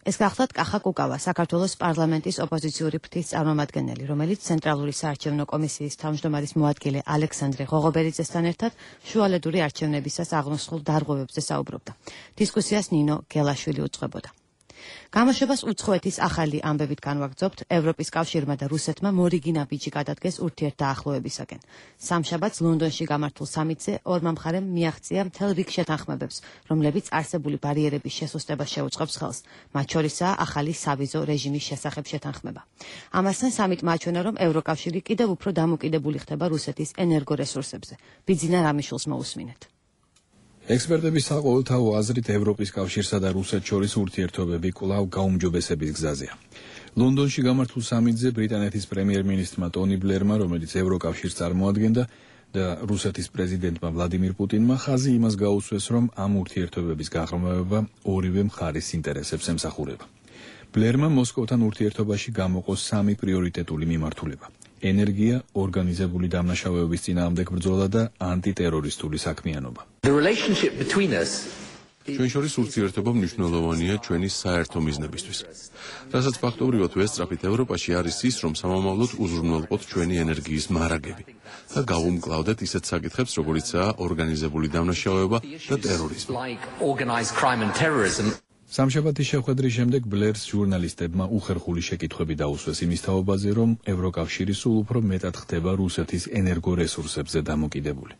ეს გახლავთ კახა კუკავა, საქართველოს პარლამენტის ოპოზიციური ფრთის წარმომადგენელი, რომელიც ცენტრალური საარჩევნო კომისიის თავმჯდომარის მოადგილე ალექსანდრე ღოღობერიძესთან ერთად შუალედური არჩევნებისას აღნიშნულ დარღვევებზე საუბრობდა. დისკუსიას ნინო გელაშვილი უძღვებოდა. გამოშვებას უცხოეთის ახალი ამბებით განვაგრძობთ, ევროპის კავშირმა და რუსეთმა მორიგინა ბიჭი გადადგეს ურთიერთდაახლოებისაკენ. სამშაბათს ლონდონში გამართულ სამიტზე ორმა მხარემ მიაღწია მთელ რიგ შეთანხმებებს, რომლებიც არსებული ბარიერების შესუსტებას შეუწყობს ხელს, მათ შორისაა ახალი სავიზო რეჟიმის შესახებ შეთანხმება. ამასთან სამიტმა აჩვენა, რომ ევროკავშირი კიდევ უფრო დამოკიდებული ხდება რუსეთის ენერგორესურსებზე. ბიძინა რამიშვილს მოусმინეთ. ექსპერტების საყოველთაო აზრით ევროპის კავშირსა და რუსეთს შორის ურთიერთობები კვლავ გაუმჯობესების გზაზეა. ლონდონში გამართულ სამიტზე ბრიტანეთის პრემიერ-მინისტრმა ტონი ბლერმა, რომელიც ევროკავშირს წარმოადგენდა და რუსეთის პრეზიდენტმა ვლადიმირ პუტინმა ხაზი იმას გაუსვეს, რომ ამ ურთიერთობების გაღრმავება ორივე მხარის ინტერესებს ემსახურება. ბლერმა მოსკოვთან ურთიერთობაში გამოყო სამი პრიორიტეტული მიმართულება: ენერგია, ორგანიზებული დამნაშავეობის წინააღმდეგ ბრძოლა და ანტიტერორისტული საქმიანობა. ჩვენ შორის ურთიერთობა მნიშვნელოვანია ჩვენი საერთო მიზნებისთვის. რასაც ფაქტობრივად ვესწრაფით ევროპაში არის ის, რომ სამომავლოდ უზრუნველყოთ ჩვენი ენერგიის მარაგები და გავუმკლავდეთ ისეთ საკითხებს, როგორიცაა ორგანიზებული დამნაშავეობა და ტერორიზმი. სამშაბათის შეხვედრის შემდეგ ბლერს ჟურნალისტებმა უხერხული შეკითხვები დაუსვეს იმის თაობაზე, რომ ევროკავშირი სულ უფრო მეტად ხდება რუსეთის ენერგორესურსებზე დამოკიდებული.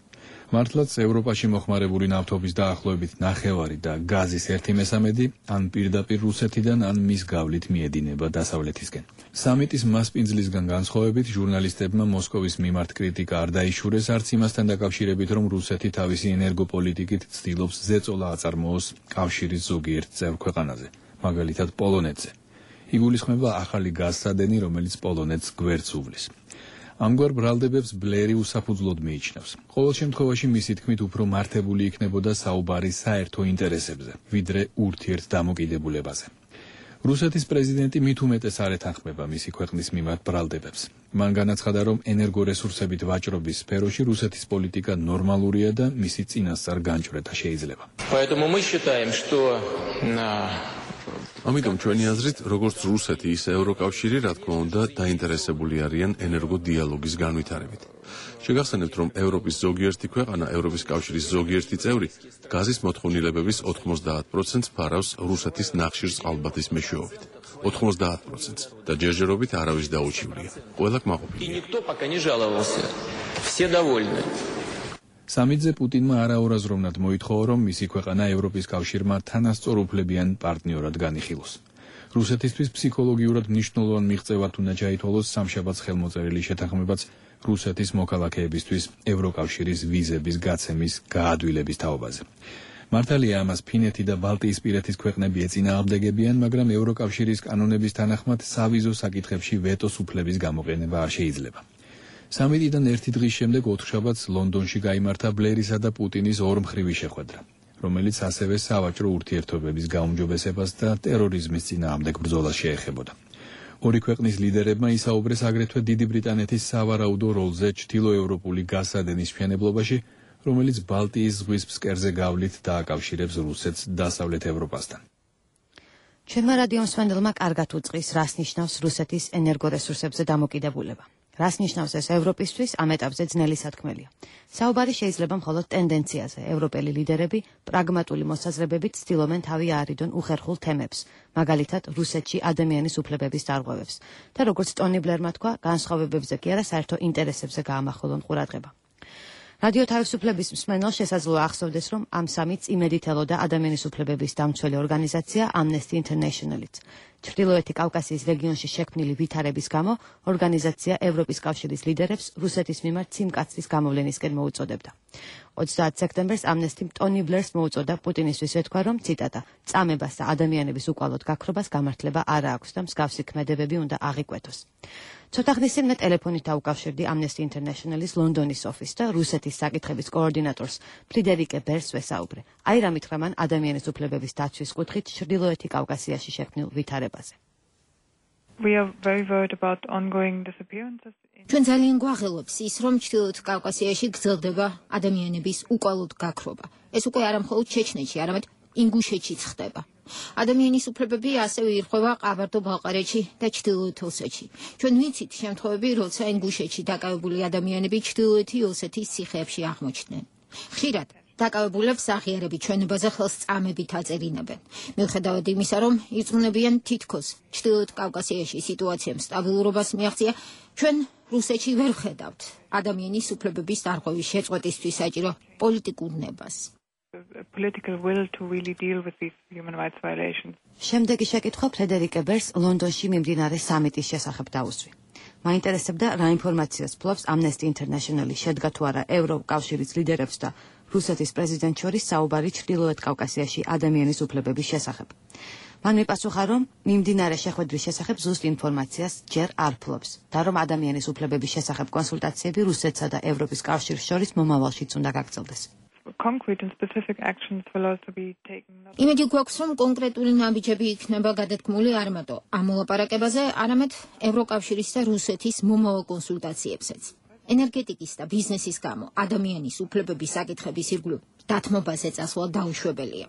მართლაც ევროპაში მოხმარებული ნავთობის დაახლოებით ნახევარი და გაზის 1/3 ან პირდაპირ რუსეთიდან, ან მის გავლით მიედინება დასავლეთისკენ. სამიტის მასპინძლისგან განსხვავებით, ჟურნალისტებმა მოსკოვის მიმართ კრიტიკა არ დაიშურეს არც იმასთან დაკავშირებით, რომ რუსეთი თავისი ენერგოპოლიტიკით ცდილობს ზეწოლა აწარმოოს კავშირის ზოგიერთ წევრ ქვეყანაზე, მაგალითად პოლონეთზე. იგულისხმება ახალი გაზსადენი, რომელიც პოლონეთს გვერდს უვლის. ამგვარ ბრალდებებს ბლერი უსაფუძვლოდ მიიჩნევს. ყოველ შემთხვევაში მისი თქმით უფრო მართებული იქნებოდა საუბარი საერთო ინტერესებზე, ვიდრე ურთიერთდამოკიდებულებაზე. რუსეთის პრეზიდენტი მით უმეტეს არ ეთანხმება მისი ქვეყნის მიმართ ბრალდებებს. მან განაცხადა, რომ ენერგორესურსებით ვაჭრობის სფეროში რუსეთის პოლიტიკა ნორმალურია და მისი წინასწარ განჭვრეტა შეიძლება. ამიტომ ჩვენი აზრით, როგორც რუსეთი, ისე ევროკავშირი, რა თქმა უნდა, დაინტერესებული არიან ენერგოდიალოგის განვითარებით. შეგახსენებთ, რომ ევროპის ზოგიერთი ქვეყანა, ევროპის კავშირის ზოგიერთი წევრი, გაზის მოთხოვნილებების 90% ფარავს რუსეთის ნახშირწყალბადის მეშვეობით. 90% და ჯერჯერობით არავის დაუჩივლია. ყველა კმაყოფილია. სამიტზე პუტინმა არაორაზროვნად მოითხოვა, რომ მისი ქვეყანა ევროპის კავშირმა თანასწორუფლებიან პარტნიორად განიხილოს. რუსეთისთვის ფსიქოლოგიურად მნიშვნელოვან მიღწევად უნდა ჩაითვალოს სამშაბათს ხელმოწერილი შეთანხმებაც რუსეთის მოქალაქეებისთვის ევროკავშირის ვიზების გაცემის გაადვილების თაობაზე. მართალია ამას ფინეთი და ბალტიისპირეთის ქვეყნები ეწინააღმდეგებიან, მაგრამ ევროკავშირის კანონების თანახმად სავიზო საკითხებში ვეტოს უფლების გამოყენება არ შეიძლება. სამიტიდან ერთი დღის შემდეგ ოთხშაბათს ლონდონში გაიმართა ბლერისა და პუტინის ორმხრივი შეხვედრა, რომელიც ასევე სავაჭრო ურთიერთობების გაუმჯობესებას და ტერორიზმის წინააღმდეგ ბრძოლას შეეხებოდა. ორი ქვეყნის ლიდერებმა ისაუბრეს აგრეთვე დიდი ბრიტანეთის სავარაუდო როლზე ჩრდილოევროპული გაზსადენის მშენებლობაში, რომელიც ბალტიის ზღვის ფსკერზე გავლით დააკავშირებს რუსეთს დასავლეთ ევროპასთან. ჩვენმა რადიომსმენელმა კარგად უწყის, რას ნიშნავს რუსეთის ენერგორესურსებზე დამოკიდებულება. რას ნიშნავს ეს ევროპისთვის, ამ ეტაპზე ძნელი სათქმელია. საუბარი შეიძლება მხოლოდ ტენდენციაზე. ევროპელი ლიდერები პრაგმატული მოსაზრებებით ცდილობენ თავი აარიდონ უხერხულ თემებს, მაგალითად რუსეთში ადამიანის უფლებების დარღვევებს და როგორც ტონი ბლერმა თქვა, განსხვავებებზე კი არა, საერთო ინტერესებზე გაამახვილონ ყურადღება. რადიო თავისუფლების მსმენელს შესაძლოა ახსოვდეს, რომ ამ სამიტს იმედით ელოდა ადამიანის უფლებების დამცველი ორგანიზაცია Amnesty International-იც. ჩრდილოეთი კავკასიის რეგიონში შექმნილი ვითარების გამო ორგანიზაცია ევროპის კავშირის ლიდერებს რუსეთის მიმართ სიმკაცრის გამოვლენისკენ მოუწოდებდა. 30 სექტემბერს Amnesty ტონი ბლერს მოუწოდა პუტინისთვის ეთქვა, რომ ციტატა წამებას და ადამიანების უკვალოდ გაქრობას გამართლება არ აქვს და მსგავსი ქმედებები უნდა აღიკვეთოს. ცოტა ხნის წინ მე ტელეფონით დაუკავშირდი Amnesty International-ის ლონდონის ოფისს და რუსეთის საკითხების კოორდინატორს ფრიდერიკე ბერს ვესაუბრე. აი რა მითხრა მან ადამიანის უფლებების დაცვის კუთხით ჩრდილოეთი კავკასიაში შექმნილ ვითარებაზე. We are very worried about ongoing disappearances. ჩვენ ძალიან გვაღელვებს ის, რომ ჩრდილოეთ კავკასიაში გრძელდება ადამიანების უკვალოდ გაქრობა. ეს უკვე არა მხოლოდ ჩეჩნეთში, არამედ ინგუშეთშიც ხდება. ადამიანის უფლებები ასევე ირღვევა ყაბარდო-ბალყარეთში და ჩრდილოეთ ოსეთში. ჩვენ ვიცით შემთხვევები, როცა ინგუშეთში დაკავებული ადამიანები ჩრდილოეთი ოსეთის ციხეებში აღმოჩნდნენ. ხშირად დაკავებულებს აღიარები ჩვენებაზე ხელს წამებით აწერინებენ. მიუხედავად იმისა, რომ ირწმუნებიან თითქოს ჩრდილოეთ კავკასიაში სიტუაციამ სტაბილურობას მიაღწია, ჩვენ რუსეთში ვერ ვხედავთ ადამიანის უფლებების დარღვევის შეწყვეტისთვის საჭირო პოლიტიკურ ნებას. Political will to really deal with these human rights violations. შემდეგი შეკითხვა ფრედერიკე ბერს ლონდონში მიმდინარე სამიტის შესახებ დაუსვი. მაინტერესებდა რა ინფორმაციას ფლობს Amnesty International-ი შედგა თუ არა ევროკავშირის ლიდერებს და რუსეთის პრეზიდენტ შორის საუბარი ჩრდილოეთ კავკასიაში ადამიანის უფლებების შესახებ. მან მიპასუხა, რომ მიმდინარე შეხვედრის შესახებ ზუსტ ინფორმაციას ჯერ არ ფლობს და რომ ადამიანის უფლებების შესახებ კონსულტაციები რუსეთსა და ევროპის კავშირს შორის მომავალშიც უნდა გაგრძელდეს. Concrete and specific actions will also be taken. იმედი გვაქვს, რომ კონკრეტული ნაბიჯები იქნება გადადგმული არ მარტო ამ მოლაპარაკებაზე, არამედ ევროკავშირის და რუსეთის მომავალ კონსულტაციებზეც. ენერგეტიკის და ბიზნესის გამო ადამიანის უფლებების საკითხების ირგვლივ დათმობაზე წასვლა დაუშვებელია.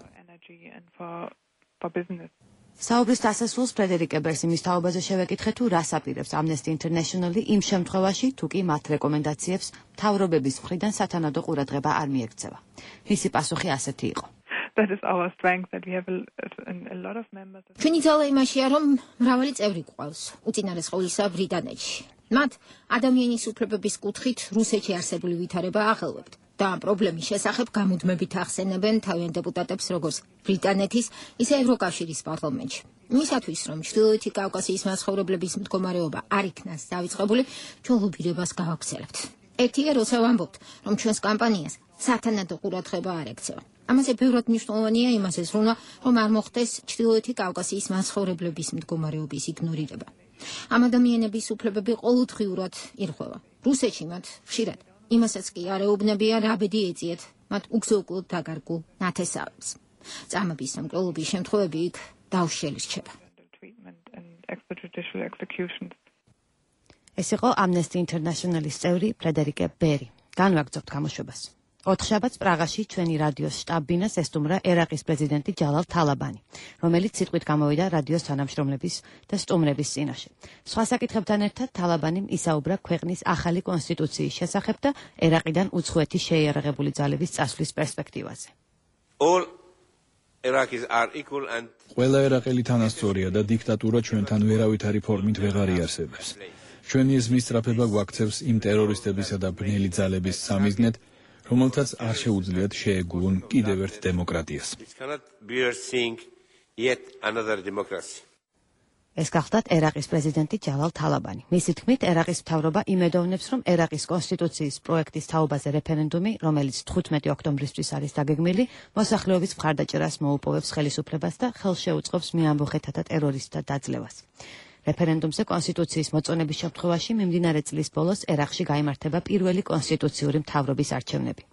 საუბრის დასასრულს ფრედერიკე ბერს იმის თაობაზე შევეკითხე, თუ რას აპირებს Amnesty International-ი იმ შემთხვევაში, თუ კი მათ რეკომენდაციებს მთავრობების მხრიდან სათანადო ყურადღება არ მიექცევა. მისი პასუხი ასეთი იყო. That is our strength that we have a lot of members. ჩვენი ძალა იმაშია, რომ მრავალი წევრი გვყავს, უწინარესყოვლისა ბრიტანეთში. მათ ადამიანის უფლებების კუთხით რუსეთში არსებული ვითარება აღელვებთ და ამ პრობლემის შესახებ გამუდმებით ახსენებენ თავიანთ დეპუტატებს როგორც ბრიტანეთის, ისე ევროკავშირის პარლამენტში. იმისათვის, რომ ჩრდილოეთი კავკასიის მაცხოვრებლების მდგომარეობა არ იქნას დავიწყებული, ჩვენ ლობირებას გავაგრძელებთ. ერთია, როცა ვამბობთ, რომ ჩვენს კამპანიას სათანადო ყურადღება არ ექცევა. ამაზე ბევრად მნიშვნელოვანია იმაზე ზრუნვა, რომ არ მოხდეს ჩრდილოეთი კავკასიის მაცხოვრებლების მდგომარეობის იგნორირება. ამ ადამიანების უფლებები ყოველდღიურად ირღვევა. რუსეთში მათ ხშირად იმასაც კი არ ეუბნებიან, რა ბედი ეწიეთ მათ უგზო-უკვლოდ დაკარგულ ნათესავებს. წამების სამკვლელობის შემთხვევები იქ დაუშლილი რჩება. ეს იყო Amnesty International-ის წევრი ფრედერიკე ბერი. განვაგრძობთ გამოშვებას. 4 შაბათს პრაღაში ჩვენი რადიოს შტაბ-ბინას ესტუმრა ერაყის პრეზიდენტი ჯალალ თალაბანი, რომელიც სიტყვით გამოვიდა რადიოს თანამშრომლების და სტუმრების წინაშე. სხვა საკითხებთან ერთად თალაბანიმ ისაუბრა ქვეყნის ახალი კონსტიტუციის შესახებ და ერაყიდან უცხოეთი შეიარაღებული ძალების წასვლის პერსპექტივაზე. ყველა ერაყელი თანასწორია და დიქტატურა ჩვენთან ვერავითარი ფორმით ვეღარ იარსებებს. ჩვენი ეს მისწრაფება გვაქცევს იმ ტერორისტებისა და ბნელი ძალების სამიზნედ, რომელთაც არ შეუძლიათ შეეგუონ კიდევ ერთ დემოკრატიას. ეს გახლდათ ერაყის პრეზიდენტი ჯალალ თალაბანი. მისი თქმით, ერაყის მთავრობა იმედოვნებს, რომ ერაყის კონსტიტუციის პროექტის თაობაზე რეფერენდუმი, რომელიც 15 ოქტომბრისთვის არის დაგეგმილი, მოსახლეობის მხარდაჭერას მოუპოვებს ხელისუფლებას და ხელს შეუწყობს მეამბოხეთათა ტერორისტთა დაძლევას. რეფერენდუმზე კონსტიტუციის მოწონების შემთხვევაში მიმდინარე წლის ბოლოს ერაყში გაიმართება პირველი კონსტიტუციური მთავრობის არჩევნები.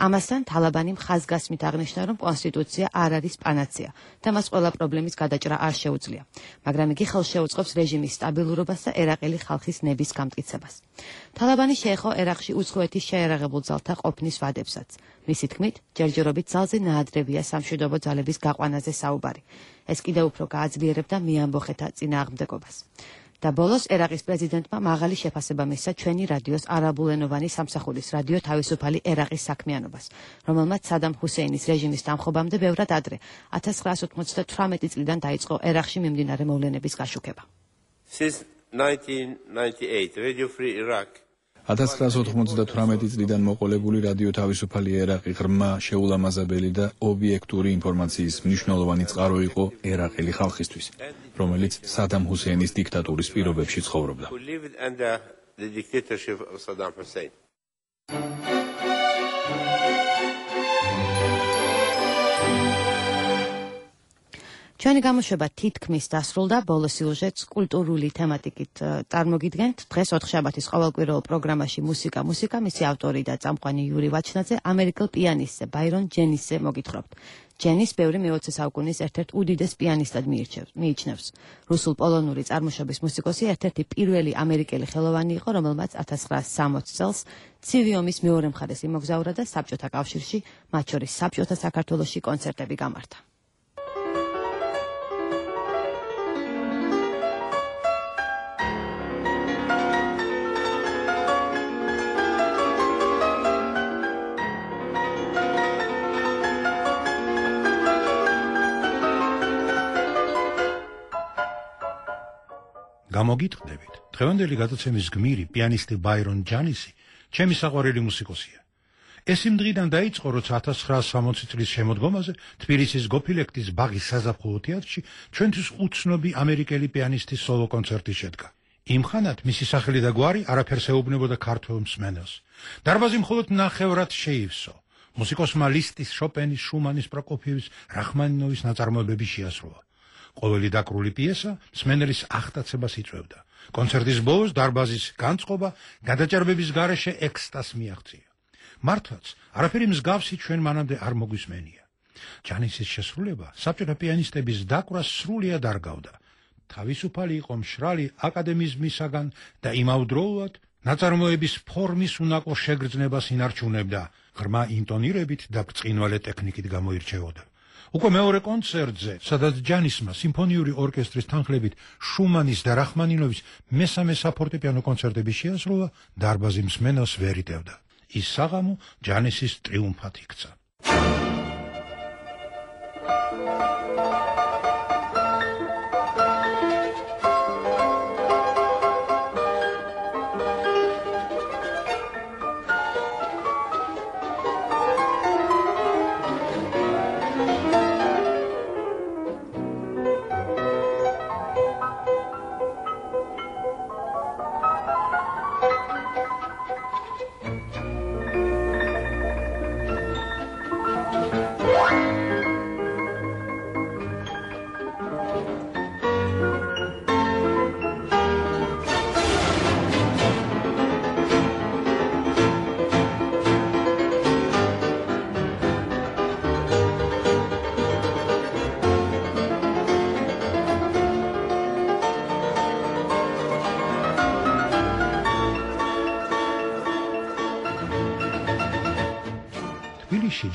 ამასთან თალაბანი ხაზგასმით აღნიშნა, რომ კონსტიტუცია არ არის პანაცეა და მას ყველა პრობლემის გადაჭრა არ შეუძლია, მაგრამ იგი ხელს შეუწყობს რეჟიმის სტაბილურობას და ერაყელი ხალხის ნების გამტკიცებას. თალაბანი შეეხო ერაყში უცხოეთის შეიარაღებულ ძალთა ყოფნის ვადებსაც. მისი თქმით, ჯერჯერობით ძალზე ნაადრევია სამშვიდობო ძალების გაყვანაზე საუბარი. ეს კიდევ უფრო გააძლიერებდა მეამბოხეთა წინააღმდეგობას. და ბოლოს ერაყის პრეზიდენტმა მაღალი შეფასება მისცა ჩვენი რადიოს არაბულენოვანი სამსახურის რადიო თავისუფალი ერაყის საქმიანობას, რომელმაც სადამ ჰუსეინის რეჟიმის დამხობამდე ბევრად ადრე 1998 წლიდან დაიწყო ერაყში მიმდინარე მოვლენების გაშუქება. 1998 წლიდან მოყოლებული რადიო თავისუფალი ერაყი ღრმა, შეულამაზებელი და ობიექტური ინფორმაციის მნიშვნელოვანი წყარო იყო ერაყელი ხალხისთვის, რომელიც სადამ ჰუსეინის დიქტატურის პირობებში ცხოვრობდა. ჩვენი გამოშვება თითქმის დასრულდა, ბოლო სიუჟეტს კულტურული თემატიკით წარმოგიდგენთ. დღეს ოთხშაბათის ყოველკვირეულ პროგრამაში მუსიკა, მისი ავტორი და წამყვანი იური ვაჩნაძე ამერიკელ პიანისტზე ბაირონ ჯენისზე მოგითხრობთ. ჯენის ბევრი მე-20 საუკუნის ერთ-ერთ უდიდეს პიანისტად მიიჩნევს. რუსულ-პოლონური წარმოშობის მუსიკოსი ერთ-ერთი პირველი ამერიკელი ხელოვანი იყო, რომელმაც 1960 წელს ცივი ომის მეორე მხარეს იმოგზაურა და საბჭოთა კავშირში, მათ შორის საბჭოთა საქართველოში კონცერტები გამართა. გამოგიტყდებით, დღევანდელი გადაცემის გმირი პიანისტი ბაირონ ჯანისი ჩემი საყვარელი მუსიკოსია. ეს იმ დღიდან დაიწყო, როცა 1960 წლის შემოდგომაზე თბილისის გოფილექტის ბაღის საზაფხულო თეატრში ჩვენთვის უცნობი ამერიკელი პიანისტის სოლო კონცერტი შედგა. იმ ხანად მისი სახელი და გვარი არაფერს ეუბნებოდა ქართველ მსმენელს. დარბაზი მხოლოდ ნახევრად შეივსო. მუსიკოსმა ლისტის, შოპენის, შუმანის, პროკოფიევის, რახმანინოვის ნაწარმოებები შეასრულა. ყოველი დაკრული პიესა მსმენელის აღტაცებას იწვევდა. კონცერტის ბოლოს დარბაზის განწყობა გადაჭარბების გარეშე ექსტაზს მიაღწია. მართლაც, არაფერი მსგავსი ჩვენ მანამდე არ მოგვისმენია. ჯანისის შესრულება საბჭოთა პიანისტების დაკვრას სრულიად არგავდა. თავისუფალი იყო მშრალი აკადემიზმისაგან და იმავდროულად ნაწარმოების ფორმის უნაკლო შეგრძნებას ინარჩუნებდა, ღრმა ინტონირებით და ბრწყინვალე ტექნიკით გამოირჩეოდა. უკვე მეორე კონცერტზე, სადაც ჯანისმა სიმფონიური ორკესტრის თანხლებით შუმანის და რახმანინოვის მესამე საფორტეპიანო კონცერტები შეასრულა, დარბაზი მსმენელს ვერ იტევდა. ის საღამო ჯანისის ტრიუმფად იქცა.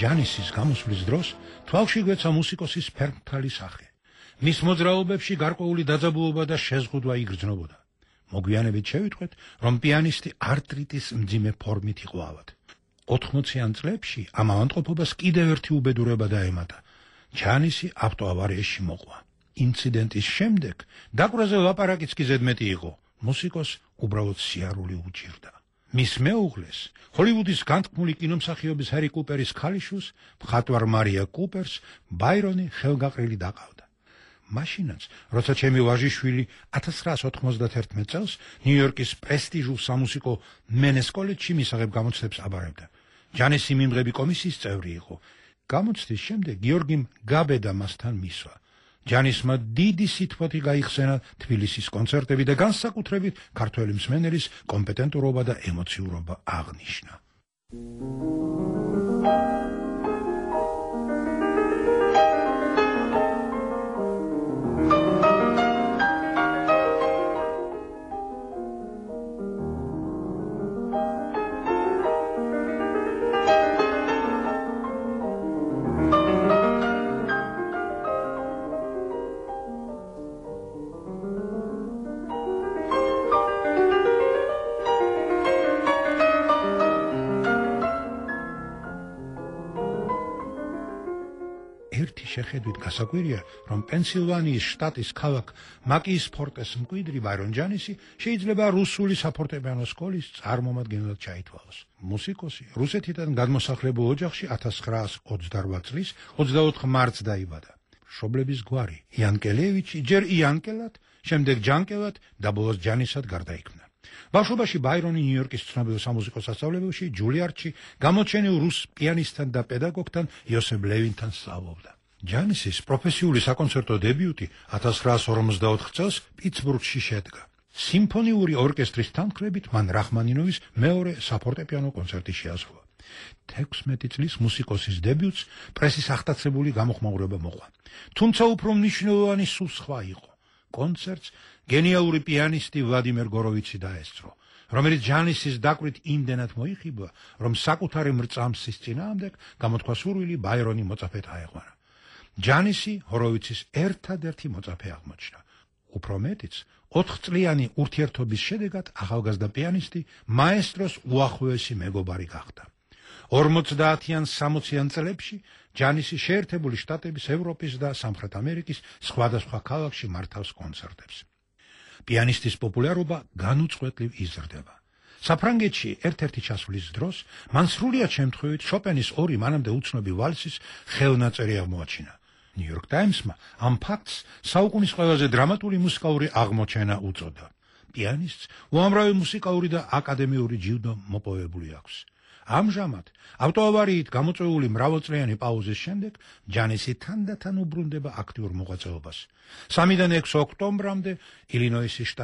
ჯანისის გამოსვლის დროს თვალში გვეცა მუსიკოსის ფერმთალი სახე. მის მოძრაობებში გარკვეული დაძაბულობა და შეზღუდვა იგრძნობოდა. მოგვიანებით შევიტყვეთ, რომ პიანისტი არტრიტის მძიმე ფორმით იყო ავად. 80-იან წლებში ამ ავადმყოფობას კიდევ ერთი უბედურება დაემატა. ჯანისი ავტოავარიაში მოყვა. ინციდენტის შემდეგ დაკვრაზე ლაპარაკიც კი ზედმეტი იყო. მუსიკოს უბრალოდ სიარული უჭირდა. მის მეუღლეს, ჰოლივუდის განთქმული კინომსახიობის ჰერი კუპერის ქალიშვილს, მხატვარ მარია კუპერს, ბაირონი ხელგაყრილი დაყავდა. მაშინაც, როცა ჩემი ვაჟიშვილი 1991 წელს ნიუ-იორკის პრესტიჟულ სამუსიკო მენეს კოლეჯში მისაღებ გამოცდებს აბარებდა. ჯანისი მიმღები კომისიის წევრი იყო. გამოცდის შემდეგ გიორგიმ გაბედა მასთან მისვა. ჯანისმა დიდი სითბოთი გაიხსენა თბილისის კონცერტები და განსაკუთრებით ქართველი მსმენელის კომპეტენტურობა და ემოციურობა აღნიშნა. შეხედვით გასაკვირია, რომ პენსილვანიის შტატის ქალაქ მაკიის-ფორტეს მკვიდრი ბაირონ ჯანისი შეიძლება რუსული საფორტეპიანო სკოლის წარმომადგენლად ჩაითვალოს. მუსიკოსი რუსეთიდან გადმოსახლებულ ოჯახში 1928 წლის 24 მარტს დაიბადა. მშობლების გვარი იანკელევიჩი ჯერ იანკელად, შემდეგ ჯანკელად და ბოლოს ჯანისად გარდაიქმნა. ბავშვობაში ბაირონი ნიუ-იორკის ცნობილ სამუსიკო სასწავლებელში ჯულიარდში გამოჩენილ რუს პიანისტთან და პედაგოგთან იოსებ ლევინთან სწავლობდა. ჯანისის პროფესიული საკონცერტო დებიუტი 1954 წელს პიტსბურგში შედგა. სიმფონიური ორკესტრის თანმხლებით მან რახმანინოვის მეორე საფორტეპიანო კონცერტი შეასრულა. 16 წლის მუსიკოსის დებიუტს პრესის ახდაცებული გამოხმაურება მოყვა. თუმცა უფრო მნიშვნელოვანი სულ სხვა იყო. კონცერტს გენიალური პიანისტი ვლადიმერ გოროვიცი დაესწრო, რომელიც ჯანისის დაკვირით იმდენად მოიხიბლა, რომ საკუთარი მრწამსის წინააღმდეგ გამოთქვა სურვილი ბაირონი მოწაფედ აეღვარა. ჯანისი ჰოროვიცის ერთადერთი მოწაფე აღმოჩნდა. უფრო მეტიც, 4 წლიანი ურთიერთობის შედეგად ახალგაზრდა პიანისტი მაესტროს უახლოესი მეგობარი გახდა. 50-იან 60-იან წლებში ჯანისი შეერთებული შტატების, ევროპის და სამხრეთ ამერიკის სხვადასხვა ქალაქში მართავს კონცერტებს. პიანისტის პოპულარობა განუწყვეტლივ იზრდება. საფრანგეთში ერთ-ერთი ჩასვლის დროს მან სრულიად შემთხვევით შოპენის ორი მანამდე უცნობი ვალსის ხელნაწერი აღმოაჩინა. New York Times-მა ამ ფაქტს საუკუნის ყველაზე დრამატული მუსიკალური აღმოჩენა უწოდა. პიანისტს უამრავი მუსიკალური და აკადემიური ჯილდო მოპოვებული აქვს. ამჟამად ავტოავარიით გამოწვეული მრავალწლიანი პაუზის შემდეგ ჯანისი თანდათან უბრუნდება აქტიურ მოღვაწეობას. 3-დან 6 ოქტომბრამდე ილინოისის